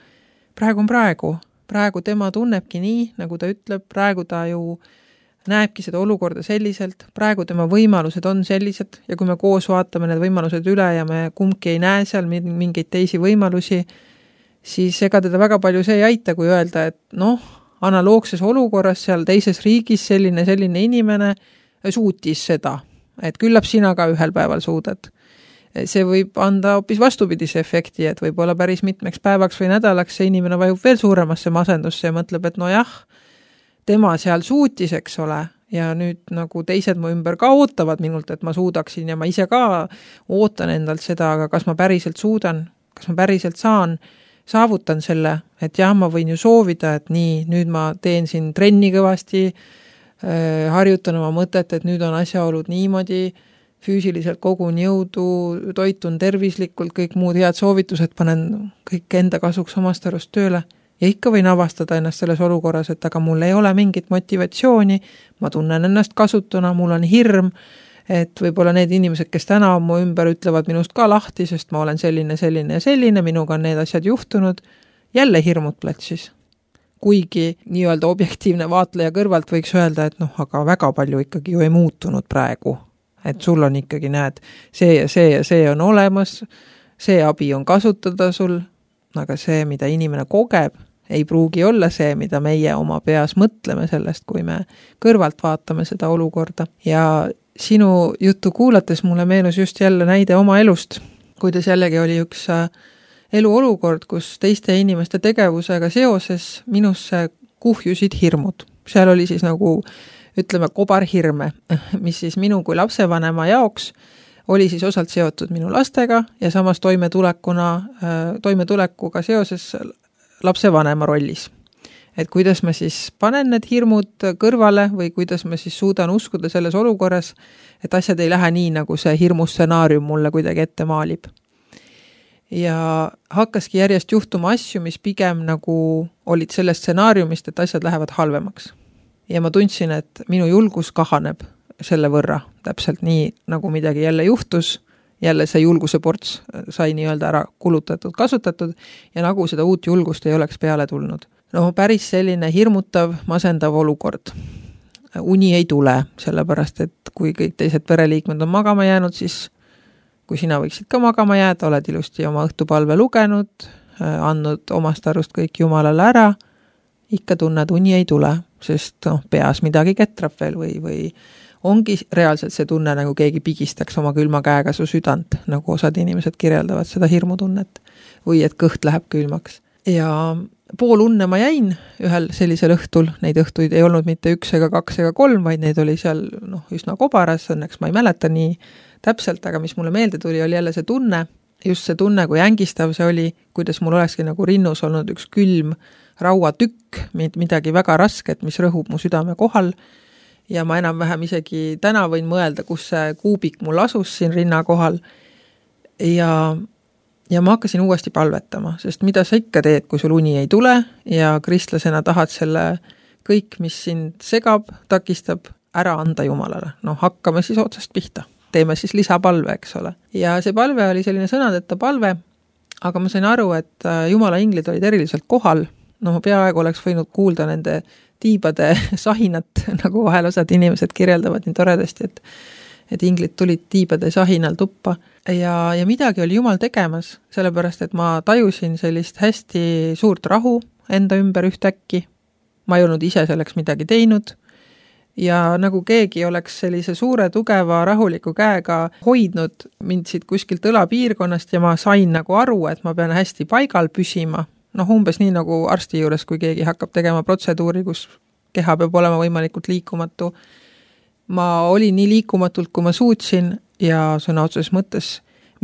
praegu. Praegu tema tunnebki nii, nagu ta ütleb, praegu ta ju näebki seda olukorda selliselt, praegu tema võimalused on sellised ja kui me koos vaatame need võimalused üle ja me kumbki ei näe seal mingeid teisi võimalusi, siis ega teda väga palju see ei aita, kui öelda, et analoogses olukorras seal teises riigis selline inimene suutis seda, et küllap sina ka ühel päeval suudad. See võib anda hoopis vastupidise efekti, et võib-olla päris mitmeks päevaks või nädalaks see inimene vajub veel suuremasse masendusse ja mõtleb, et tema seal suutis, eks ole, ja nüüd nagu teised mu ümber ka ootavad minult, et ma suudaksin ja ma ise ka ootan endalt seda, aga kas ma päriselt suudan, kas ma päriselt saavutan selle, et jah, ma võin ju soovida, et nii, nüüd ma teen siin trenni kõvasti, harjutan oma mõtet, et nüüd on asjaolud niimoodi, füüsiliselt kogun jõudu, toitun tervislikult, kõik muud head soovitused panen kõik enda kasuks omast arust tööle. Ja ikka võin avastada ennast selles olukorras, et aga mul ei ole mingit motivatsiooni, ma tunnen ennast kasutuna, mul on hirm, et võib-olla need inimesed, kes täna on mu ümber, ütlevad minust ka lahti, sest ma olen selline, minuga on need asjad juhtunud, jälle hirmud platsis. Kuigi nii-öelda objektiivne vaatleja kõrvalt võiks öelda, et aga väga palju ikkagi ju ei muutunud praegu. et sul on ikkagi, näed, see ja see on olemas, see abi on kasutada sul, aga see, mida inimene kogeb, ei pruugi olla see, mida meie oma peas mõtleme sellest, kui me kõrvalt vaatame seda olukorda. Ja sinu juttu kuulates mulle meenus just jälle näide oma elust, kuidas jällegi oli üks eluolukord, kus teiste inimeste tegevusega seoses minusse kuhjusid hirmud. Seal oli siis nagu, ütleme, kobarhirme, mis siis minu kui lapsevanema jaoks oli siis osalt seotud minu lastega ja samas toimetulekuga seoses lapsevanema rollis. Et kuidas ma siis panen need hirmud kõrvale või kuidas ma siis suudan uskuda selles olukorras, et asjad ei lähe nii, nagu see hirmustsenaarium mulle kuidagi ette maalib. Ja hakkaski järjest juhtuma asju, mis pigem nagu olid sellest stsenaariumist, et asjad lähevad halvemaks. Ja ma tundsin, et minu julgus kahaneb selle võrra, täpselt nii, nagu midagi jälle juhtus, jälle see julguse ports sai nii-öelda ära kulutatud, kasutatud ja nagu seda uut julgust ei oleks peale tulnud. No päris selline hirmutav, masendav olukord. Uni ei tule, sellepärast, et kui kõik teised pereliikmed on magama jäänud, siis kui sina võiksid ka magama jääda, oled ilusti oma õhtupalve lugenud, andnud omast arust kõik Jumalale ära, ikka tunned, uni ei tule, sest peas midagi ketrab veel või ongi reaalselt see tunne, nagu keegi pigistaks oma külma käega su südant, nagu osad inimesed kirjeldavad seda hirmutunnet või et kõht läheb külmaks. Ja pool unne ma jäin ühel sellisel õhtul, neid õhtuid ei olnud mitte 1 ega 2 ega 3, vaid neid oli seal üsna kobaras, õnneks ma ei mäleta nii täpselt, aga mis mulle meelde tuli, oli jälle see tunne, just see tunne, kui ängistav see oli, kuidas mul olekski nagu rinnus olnud üks külm rauatükk, midagi väga rasket, mis rõhub mu südame kohal ja ma enam-vähem isegi täna võin mõelda, kus see kuubik mul asus siin rinna kohal ja ma hakkasin uuesti palvetama, sest mida sa ikka teed, kui sul uni ei tule ja kristlasena tahad selle kõik, mis sind segab, takistab, ära anda Jumalale. Hakkame siis otsast pihta. Teeme siis lisapalve, eks ole. Ja see palve oli selline sõnadeta palve, aga ma sain aru, et Jumala inglid olid eriliselt kohal. Peaaegu oleks võinud kuulda nende tiibade sahinat, nagu vahel osad inimesed kirjeldavad nii toredasti, et inglid tulid tiibade sahinal tuppa ja midagi oli Jumal tegemas, sellepärast, et ma tajusin sellist hästi suurt rahu enda ümber ühtäkki. Ma ei olnud ise selleks midagi teinud ja nagu keegi oleks sellise suure, tugeva, rahuliku käega hoidnud mind siit kuskilt õlapiirkonnast ja ma sain nagu aru, et ma pean hästi paigal püsima. Umbes nii nagu arsti juures, kui keegi hakkab tegema protseduuri, kus keha peab olema võimalikult liikumatu. Ma olin nii liikumatult, kui ma suutsin ja sõna otseses mõttes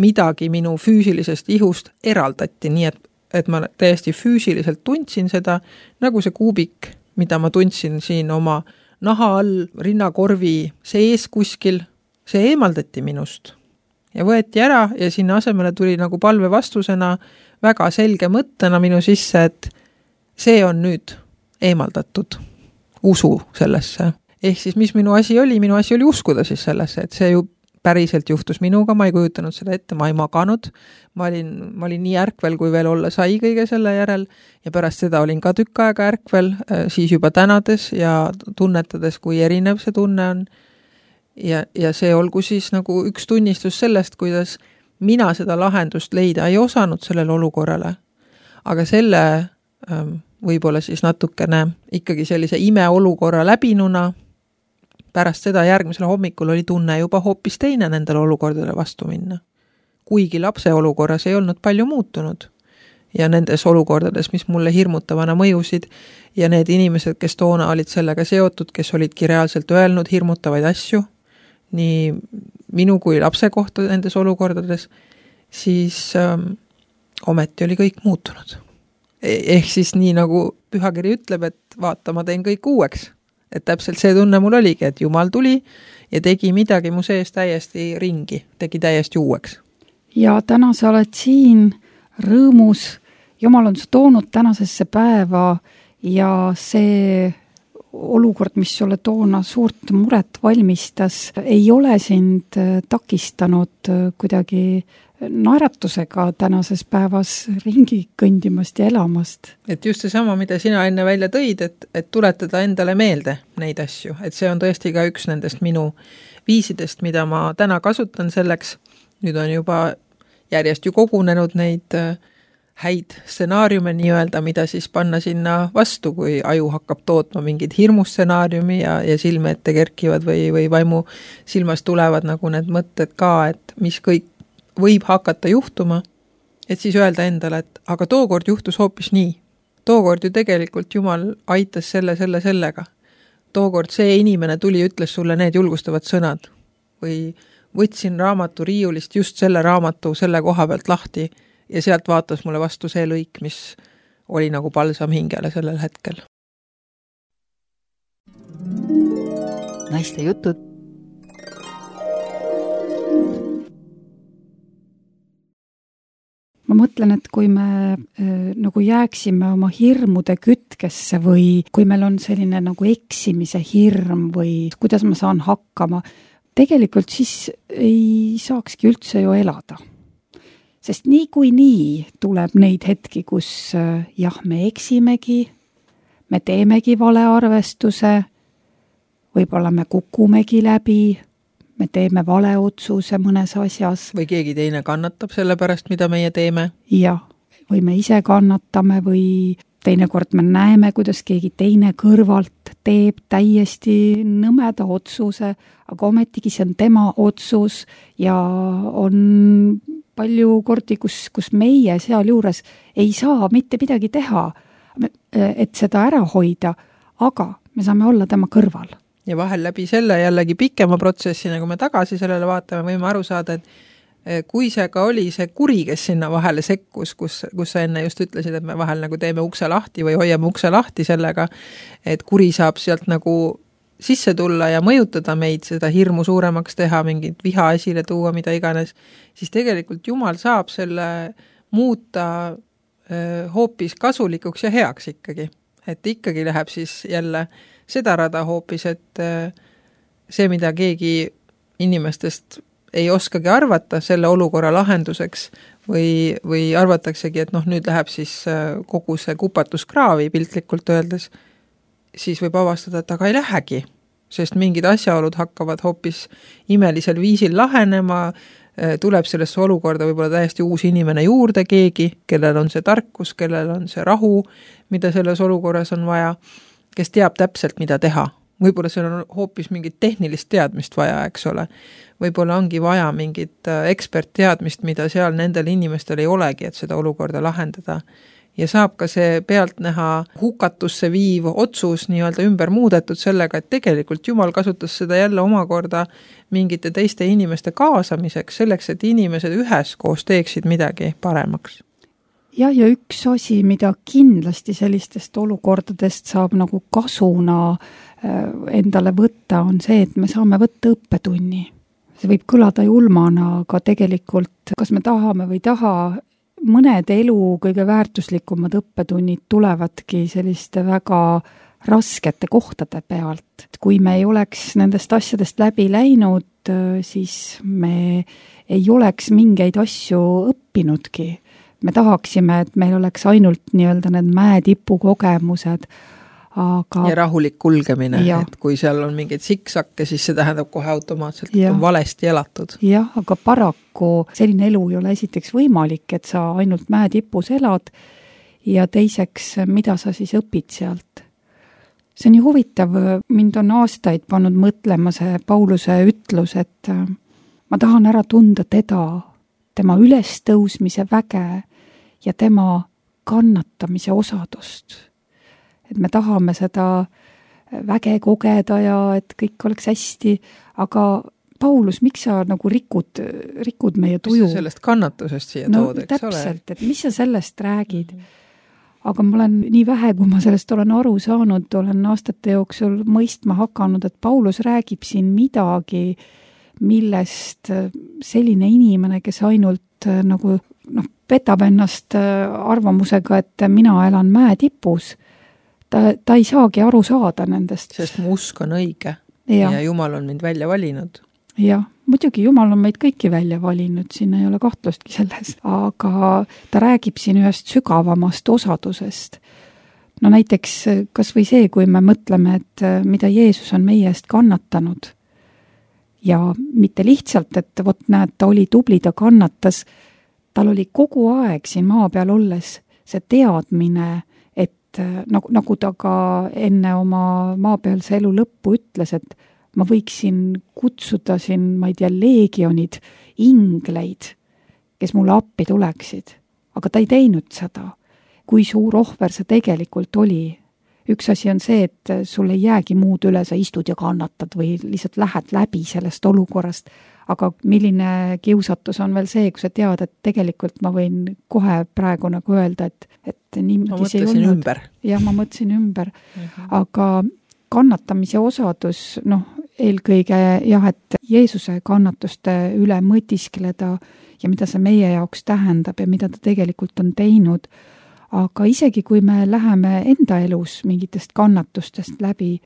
midagi minu füüsilisest ihust eraldati, nii et ma täiesti füüsiliselt tundsin seda, nagu see kuubik, mida ma tundsin siin oma naha all, rinnakorvi sees kuskil, see eemaldati minust ja võeti ära ja sinna asemele tuli nagu palve vastusena väga selge mõttena minu sisse, et see on nüüd eemaldatud, usu sellesse. Ehk siis, mis minu asi oli uskuda siis sellesse, et see ju päriselt juhtus minuga, ma ei kujutanud seda ette, ma ei maganud, ma olin nii ärkvel, kui veel olla sai kõige selle järel ja pärast seda olin ka tükk aega ärkvel, siis juba tänades ja tunnetades, kui erinev see tunne on. Ja see olgu siis nagu üks tunnistus sellest, kuidas mina seda lahendust leida ei osanud sellele olukorrale, aga selle võib-olla siis natukene ikkagi sellise imeolukorra läbinuna, pärast seda järgmisel hommikul oli tunne juba hoopis teine nendele olukordadele vastu minna. Kuigi lapse olukorras ei olnud palju muutunud ja nendes olukordades, mis mulle hirmutavana mõjusid ja need inimesed, kes toona olid sellega seotud, kes olidki reaalselt öelnud hirmutavaid asju, nii minu kui lapse kohta nendes olukordades, siis ometi oli kõik muutunud. Ehk siis nii nagu pühakiri ütleb, et vaata, ma teen kõik uueks. Et täpselt see tunne mul oligi, et Jumal tuli ja tegi midagi mu sees täiesti ringi, tegi täiesti uueks. Ja täna sa oled siin rõõmus, Jumal on su toonud tänasesse päeva ja see olukord, mis sulle toona suurt muret valmistas, ei ole sind takistanud kuidagi naeratusega tänases päevas ringi kõndimast ja elamast. Et just seesama, mida sina enne välja tõid, et tuletada endale meelde neid asju, et see on tõesti ka üks nendest minu viisidest, mida ma täna kasutan selleks. Nüüd on juba järjest ju kogunenud neid häid stsenaariume nii-öelda, mida siis panna sinna vastu, kui aju hakkab tootma mingid hirmustsenaariumi ja silme ette kerkivad või vaimu silmas tulevad nagu need mõtted ka, et mis kõik võib hakata juhtuma, et siis öelda endale, et aga tookord juhtus hoopis nii. Tookord ju tegelikult Jumal aitas sellega. Tookord see inimene tuli ja ütles sulle need julgustavad sõnad või võtsin raamatu riiulist just selle raamatu selle koha pealt lahti ja sealt vaatas mulle vastu see lõik, mis oli nagu palsam hingele sellel hetkel. Naiste jutud. Ma mõtlen, et kui me nagu jääksime oma hirmude kütkesse või kui meil on selline nagu eksimise hirm või kuidas ma saan hakkama, tegelikult siis ei saakski üldse ju elada. Sest nii tuleb neid hetki, kus jah, me eksimegi, me teemegi valearvestuse, võib-olla me kukumegi läbi, me teeme vale otsuse mõnes asjas. Või keegi teine kannatab selle pärast, mida meie teeme. Ja, või me ise kannatame või teinekord me näeme, kuidas keegi teine kõrvalt teeb täiesti nõmeda otsuse, aga ometigi see on tema otsus ja on palju kordi, kus meie seal juures ei saa mitte midagi teha, et seda ära hoida, aga me saame olla tema kõrval. Ja vahel läbi selle jällegi pikema protsessina, kui me tagasi sellele vaatame, võime aru saada, et kui see ka oli see kuri, kes sinna vahele sekkus, kus sa enne just ütlesid, et me vahel nagu teeme ukse lahti või hoiame ukse lahti sellega, et kuri saab sealt nagu sisse tulla ja mõjutada meid, seda hirmu suuremaks teha, mingit viha esile tuua, mida iganes, siis tegelikult Jumal saab selle muuta hoopis kasulikuks ja heaks ikkagi. Et ikkagi läheb siis jälle seda rada hoopis, et see, mida keegi inimestest ei oskagi arvata selle olukorra lahenduseks või arvataksegi, et nüüd läheb siis kogu see kupatus kraavi piltlikult öeldes, siis võib avastada, et aga ei lähegi, sest mingid asjaolud hakkavad hoopis imelisel viisil lahenema, tuleb sellesse olukorda võib-olla täiesti uus inimene juurde keegi, kellel on see tarkus, kellel on see rahu, mida selles olukorras on vaja, kes teab täpselt, mida teha. Võib-olla seal on hoopis mingit tehnilist teadmist vaja, eks ole. Võib-olla ongi vaja mingit ekspertteadmist, mida seal nendel inimestel ei olegi, et seda olukorda lahendada. Ja saab ka see pealt näha hukatusse viiv otsus nii-öelda ümber muudetud sellega, et tegelikult Jumal kasutas seda jälle omakorda mingite teiste inimeste kaasamiseks, selleks, et inimesed üheskoos teeksid midagi paremaks. Ja üks asi, mida kindlasti sellistest olukordadest saab nagu kasuna endale võtta, on see, et me saame võtta õppetunni. See võib kõlada julmana, aga tegelikult, kas me tahame või taha, mõned elu kõige väärtuslikumad õppetunnid tulevadki selliste väga raskete kohtade pealt. Kui me ei oleks nendest asjadest läbi läinud, siis me ei oleks mingeid asju õppinudki. Me tahaksime, et meil oleks ainult nii-öelda need mäetipu kogemused, aga... Ja rahulik kulgemine, et kui seal on mingeid siksakke, siis see tähendab kohe automaatselt, et on valesti elatud. Jah, aga paraku selline elu ei ole esiteks võimalik, et sa ainult mäetipus elad ja teiseks, mida sa siis õpid sealt. See on ju huvitav, mind on aastaid pannud mõtlema see Pauluse ütlus, et ma tahan ära tunda teda, tema ülestõusmise väge ja tema kannatamise osadust. Et me tahame seda väge kogeda ja et kõik oleks hästi, aga Paulus, miks sa nagu rikud meie tuju? Mis sa sellest kannatusest siia tood, eks ole? Täpselt, et mis sa sellest räägid? Aga ma olen nii vähe, kui ma sellest olen aru saanud, olen aastate jooksul mõistma hakanud, et Paulus räägib siin midagi, millest selline inimene, kes ainult nagu petab ennast arvamusega, et mina elan mäetipus, ta ei saagi aru saada nendest. Sest mu usk on õige ja Jumal on mind välja valinud. Jah, muidugi Jumal on meid kõiki välja valinud, siin ei ole kahtlustki selles, aga ta räägib siin ühest sügavamast osadusest. No näiteks kas või see, kui me mõtleme, et mida Jeesus on meie eest kannatanud ja mitte lihtsalt, et vot näed, ta oli tubli, ta kannatas, tal oli kogu aeg siin maa peal olles see teadmine, et nagu ta ka enne oma maapealse elu lõppu ütles, et ma võiksin kutsuda siin, ma ei tea, leegionid, ingleid, kes mulle appi tuleksid. Aga ta ei teinud seda. Kui suur ohver see tegelikult oli. Üks asi on see, et sul ei jäägi muud üle, sa istud ja kannatad või lihtsalt lähed läbi sellest olukorrast. Aga milline kiusatus on veel see, kui sa tead, et tegelikult ma võin kohe praegu nagu öelda, et niimoodi see ei olnud. Ümber. Jah, ma mõtlesin ümber. Aga kannatamise osadus, eelkõige jah, et Jeesuse kannatuste üle mõtiskleda ja mida see meie jaoks tähendab ja mida ta tegelikult on teinud. Aga isegi kui me läheme enda elus mingitest kannatustest läbi,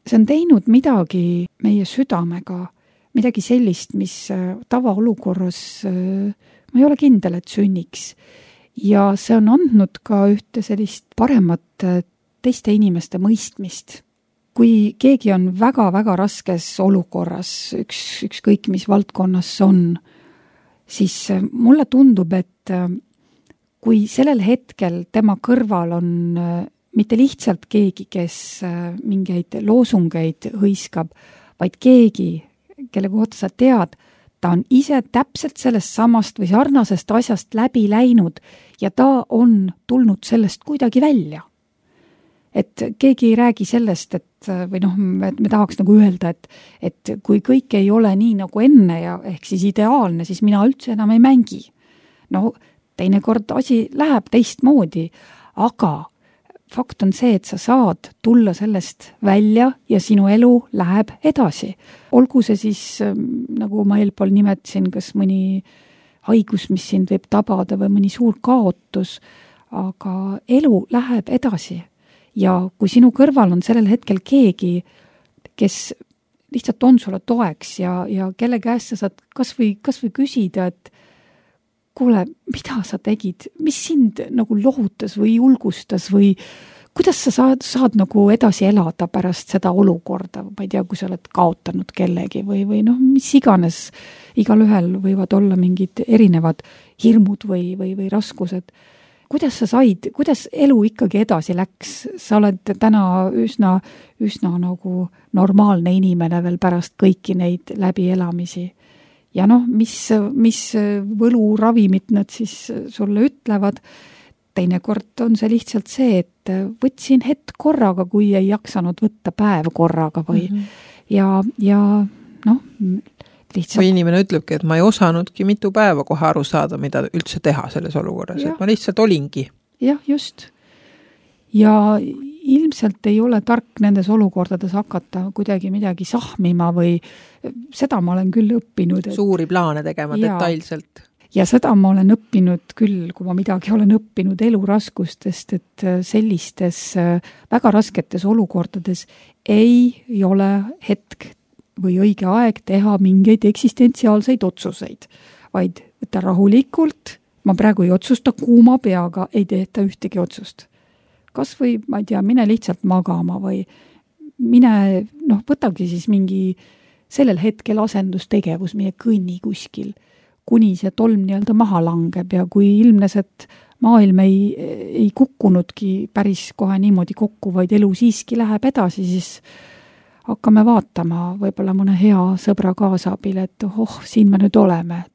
see on teinud midagi meie südamega, midagi sellist, mis tavaolukorras ma ei ole kindel, et sünniks. Ja see on andnud ka ühte sellist paremat teiste inimeste mõistmist. Kui keegi on väga-väga raskes olukorras, ükskõik mis valdkonnas on, siis mulle tundub, et kui sellel hetkel tema kõrval on mitte lihtsalt keegi, kes mingeid loosungeid hõiskab, vaid keegi, kelle kohta sa tead, ta on ise täpselt sellest samast või sarnasest asjast läbi läinud ja ta on tulnud sellest kuidagi välja. Et keegi ei räägi sellest, et me tahaks nagu öelda, et kui kõik ei ole nii nagu enne ja ehk siis ideaalne, siis mina üldse enam ei mängi. Teinekord asi läheb teistmoodi, aga fakt on see, et sa saad tulla sellest välja ja sinu elu läheb edasi. Olgu see siis, nagu ma eelpool nimetasin, kas mõni haigus, mis sind võib tabada või mõni suur kaotus, aga elu läheb edasi. Ja kui sinu kõrval on sellel hetkel keegi, kes lihtsalt on sulle toeks ja kelle käest sa saad kas või küsida, et kuule, mida sa tegid, mis sind nagu lohutas või julgustas või kuidas sa saad nagu edasi elada pärast seda olukorda, ma ei tea, kui sa oled kaotanud kellegi või mis iganes, igalühel võivad olla mingid erinevad hirmud või raskused. Kuidas sa said, kuidas elu ikkagi edasi läks? Sa oled täna üsna nagu normaalne inimene veel pärast kõiki neid läbielamisi. Ja mis võluravimid nad siis sulle ütlevad, teinekord on see lihtsalt see, et võtsin hetk korraga, kui ei jaksanud võtta päev korraga või lihtsalt. Või inimene ütlebki, et ma ei osanudki mitu päeva kohe aru saada, mida üldse teha selles olukorras, et ma lihtsalt olingi. Jah, just. Ja ilmselt ei ole tark nendes olukordades hakata kuidagi midagi sahmima või seda ma olen küll õppinud. Suuri plaane tegema detailselt. Ja seda ma olen õppinud küll, kui ma midagi olen õppinud eluraskustest, et sellistes väga rasketes olukordades ei ole hetk või õige aeg teha mingeid eksistentsiaalseid otsuseid, vaid võtta rahulikult, ma praegu ei otsusta kuuma peaga, ei tehta ühtegi otsust. Kas või, ma ei tea, mine lihtsalt magama või mine, võtagi siis mingi sellel hetkel asendustegevus, mine kõnni kuskil, kuni see tolm nii-öelda maha langeb ja kui ilmnes, et maailm ei kukkunudki päris kohe niimoodi kokku, vaid elu siiski läheb edasi, siis hakkame vaatama võib-olla mõne hea sõbra kaasabil, et siin me nüüd oleme.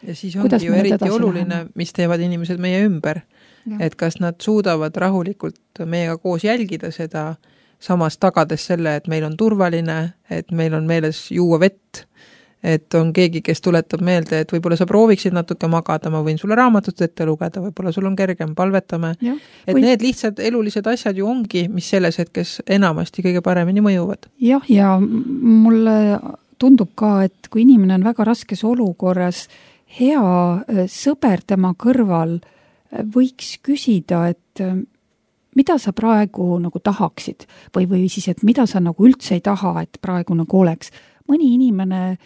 Ja siis ongi ju eriti oluline, mis teevad inimesed meie ümber. Ja. Et kas nad suudavad rahulikult meiega koos jälgida seda, samas tagades selle, et meil on turvaline, et meil on meeles juua vett, et on keegi, kes tuletab meelde, et võib-olla sa prooviksid natuke magada, ma võin sulle raamatut ette lugeda, võib-olla sul on kergem, palvetame. Ja, need lihtsalt elulised asjad ju ongi, mis selles hetkes enamasti kõige paremini mõjuvad. Jah, ja mulle tundub ka, et kui inimene on väga raskes olukorras, hea sõber tema kõrval võiks küsida, et mida sa praegu nagu tahaksid või siis, et mida sa nagu üldse ei taha, et praegu nagu oleks. Mõni inimene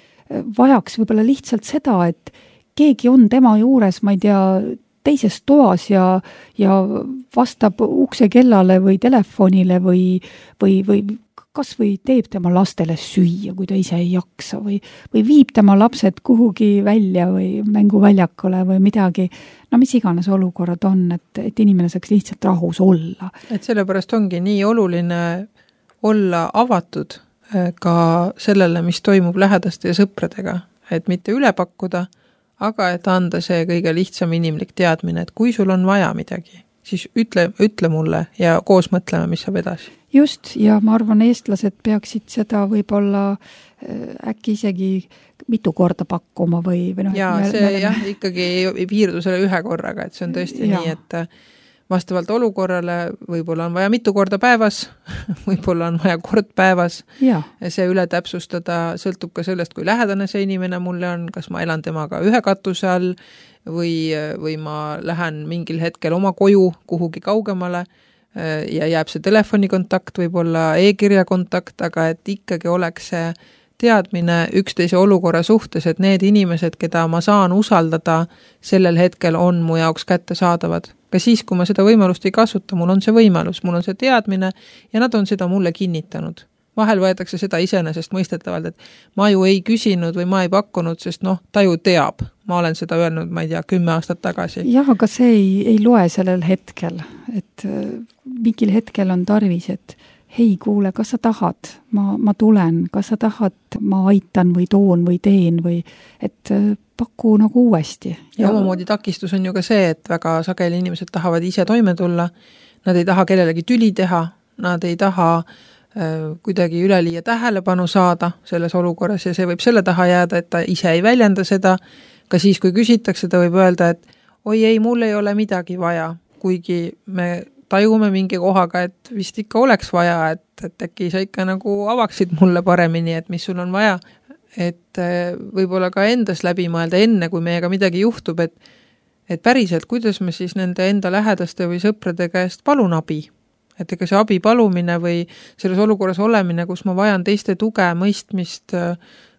vajaks võib-olla lihtsalt seda, et keegi on tema juures, ma ei tea, teises toas ja vastab ukse kellale või telefonile või kas või teeb tema lastele süüa, kui ta ise ei jaksa või viib tema lapsed kuhugi välja või mänguväljakule või midagi. No mis iganes olukorrad on, et inimene saaks lihtsalt rahus olla. Et sellepärast ongi nii oluline olla avatud ka sellele, mis toimub lähedaste ja sõpradega, et mitte üle pakkuda, aga et anda see kõige lihtsam inimlik teadmine, et kui sul on vaja midagi, siis ütle mulle ja koos mõtleme, mis saab edasi. Just, ja ma arvan, eestlased peaksid seda võib-olla äkki isegi mitu korda pakkuma või noh. Ja see ikkagi ei piirdu selle ühe korraga, et see on tõesti nii, et vastavalt olukorrale võib-olla on vaja mitu korda päevas, võib-olla on vaja kord päevas. Ja see üle täpsustada sõltub ka sellest, kui lähedane see inimene mulle on, kas ma elan temaga ühe katuse all või ma lähen mingil hetkel oma koju kuhugi kaugemale ja jääb see telefonikontakt, võib-olla e-kirja kontakt, aga et ikkagi oleks see teadmine üksteise olukorra suhtes, et need inimesed, keda ma saan usaldada, sellel hetkel on mu jaoks kättesaadavad. Ka siis, kui ma seda võimalust ei kasuta, mul on see võimalus, mul on see teadmine ja nad on seda mulle kinnitanud. Vahel võetakse seda iseenesest mõistetavalt, et ma ju ei küsinud või ma ei pakkunud, sest ta ju teab. Ma olen seda öelnud, ma ei tea, 10 aastat tagasi. Jah, aga see ei loe sellel hetkel, et mingil hetkel on tarvis, et hei, kuule, kas sa tahad? Ma tulen, kas sa tahad? Ma aitan või toon või teen või et paku nagu uuesti. Ja omamoodi takistus on ju ka see, et väga sageli inimesed tahavad ise toime tulla, nad ei taha kellelegi tüli teha, nad ei taha kuidagi üleliia tähelepanu saada selles olukorras ja see võib selle taha jääda, et ta ise ei väljenda seda, ka siis, kui küsitakse, ta võib öelda, et oi ei, mul ei ole midagi vaja, kuigi me tajume mingi kohaga, et vist ikka oleks vaja, et äkki sa ikka nagu avaksid mulle paremini, et mis sul on vaja. Et võib-olla ka endas läbi mõelda enne, kui meiega midagi juhtub, et päriselt, kuidas me siis nende enda lähedaste või sõprade käest palun abi. Et ega see abi palumine või selles olukorras olemine, kus ma vajan teiste tuge, mõistmist,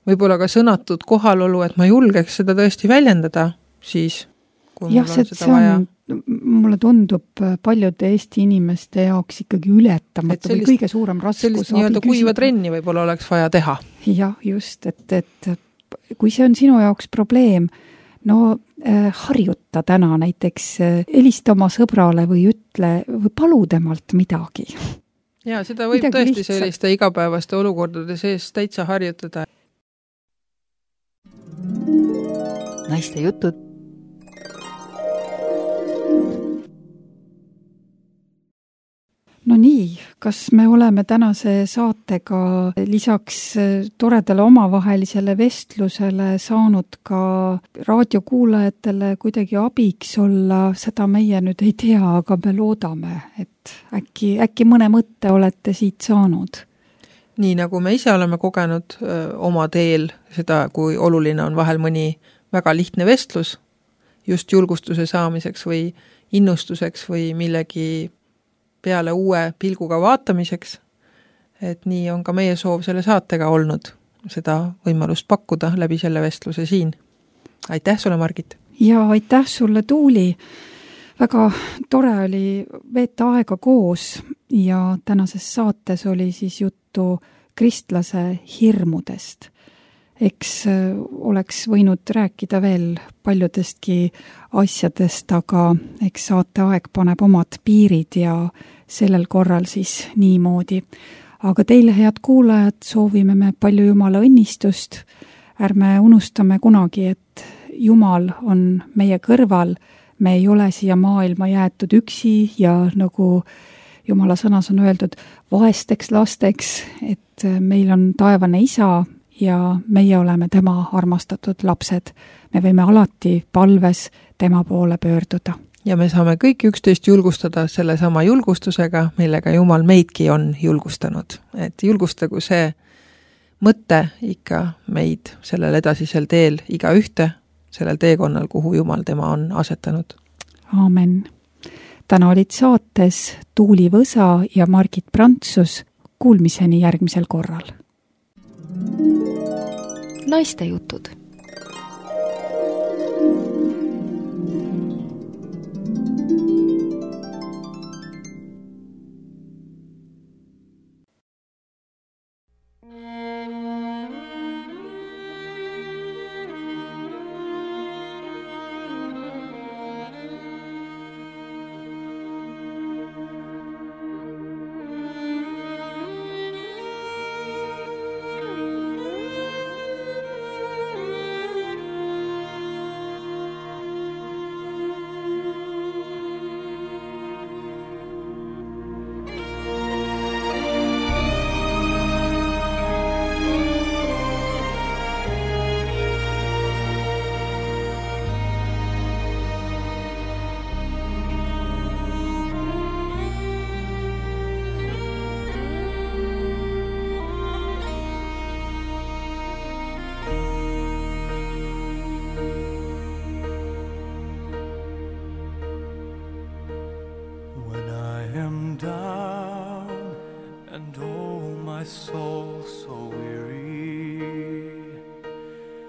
võib-olla ka sõnatud kohalolu, et ma julgeks seda tõesti väljendada siis, kui mul on seda vaja. Mulle tundub paljude Eesti inimeste jaoks ikkagi ületamatu või kõige suurem raskus. Sellist nii-öelda kuiva trenni võib-olla oleks vaja teha. Jah, just, et kui see on sinu jaoks probleem, harjuta täna näiteks, helista oma sõbrale või ütle või palu temalt midagi. Ja seda võib midagi tõesti lihtsalt selliste igapäevaste olukordade sees täitsa harjutada. Naiste jutud. No nii, kas me oleme tänase saatega lisaks toredale omavahelisele vestlusele saanud ka raadiokuulajatele kuidagi abiks olla, seda meie nüüd ei tea, aga me loodame, et äkki mõne mõtte olete siit saanud. Nii nagu me ise oleme kogenud oma teel seda, kui oluline on vahel mõni väga lihtne vestlus just julgustuse saamiseks või innustuseks või millegi peale uue pilguga vaatamiseks, et nii on ka meie soov selle saatega olnud seda võimalust pakkuda läbi selle vestluse siin. Aitäh sulle, Margit! Ja aitäh sulle, Tuuli! Väga tore oli veeta aega koos ja tänases saates oli siis juttu kristlase hirmudest. Eks oleks võinud rääkida veel paljudestki asjadest, aga eks saateaeg paneb omad piirid ja sellel korral siis niimoodi. Aga teile, head kuulajad, soovime me palju Jumala õnnistust. Ärme unustame kunagi, et Jumal on meie kõrval. Me ei ole siia maailma jäetud üksi ja nagu Jumala sõnas on öeldud, vaesteks lasteks, et meil on taevane isa ja meie oleme tema armastatud lapsed. Me võime alati palves tema poole pöörduda. Ja me saame kõik üksteist julgustada selle sama julgustusega, millega Jumal meidki on julgustanud. Et julgustagu see mõte ikka meid sellel edasisel teel iga ühte, sellel teekonnal, kuhu Jumal tema on asetanud. Aamen. Täna olid saates Tuuli Võsa ja Margit Prantsus. Kuulmiseni järgmisel korral. naistejutud.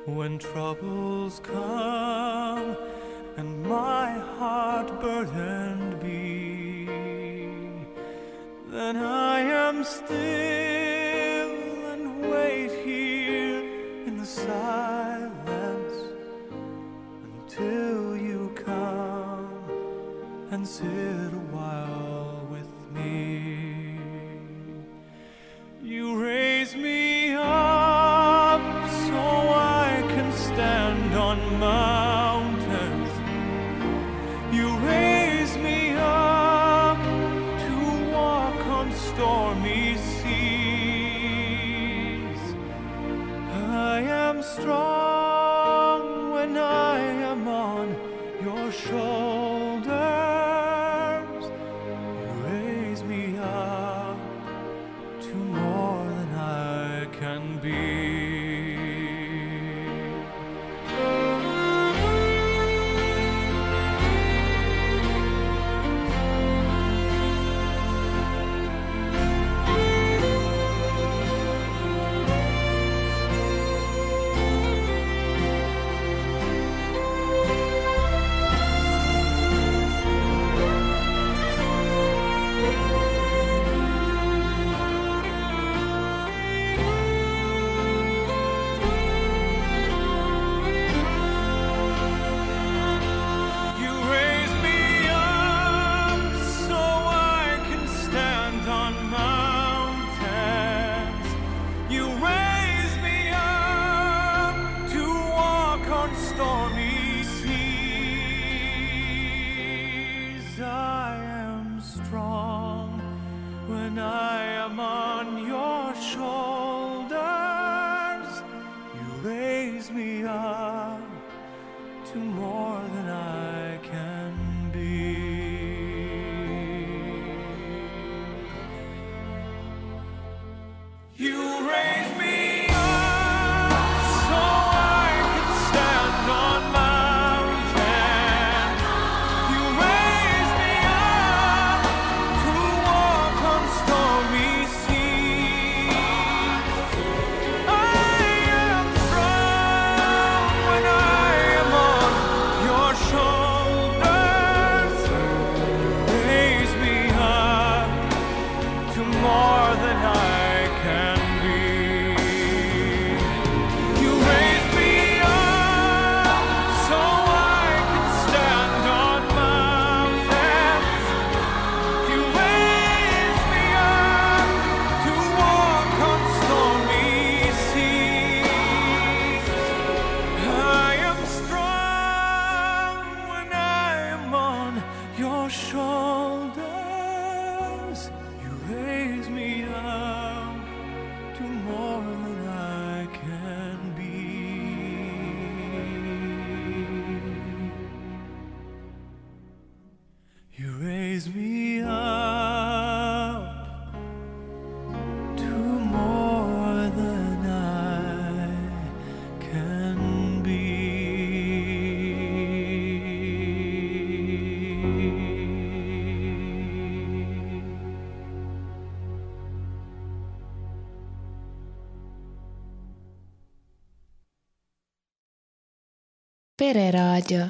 When troubles come and my heart burdened be, then I am still and wait here in the silence until you come and sit a while with me. You raise me up so I can stand on mountains. You raise me up to walk on stormy seas. I am strong when I am on your shoulders. You raise me up to more than I can be. When I am on your shoulders, you raise me up to more than I can be. You raise me up so I can stand on mountains. You raise me up to walk on stormy seas. I am strong Pereraadio.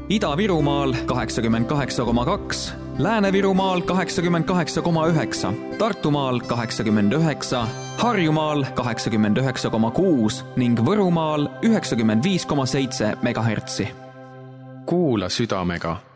Ida-Virumaal 88,2, Lääne-Virumaal 88,9, Tartumaal 89, Harjumaal 89,6 ning Võrumaal 95,7 MHz. Kuula südamega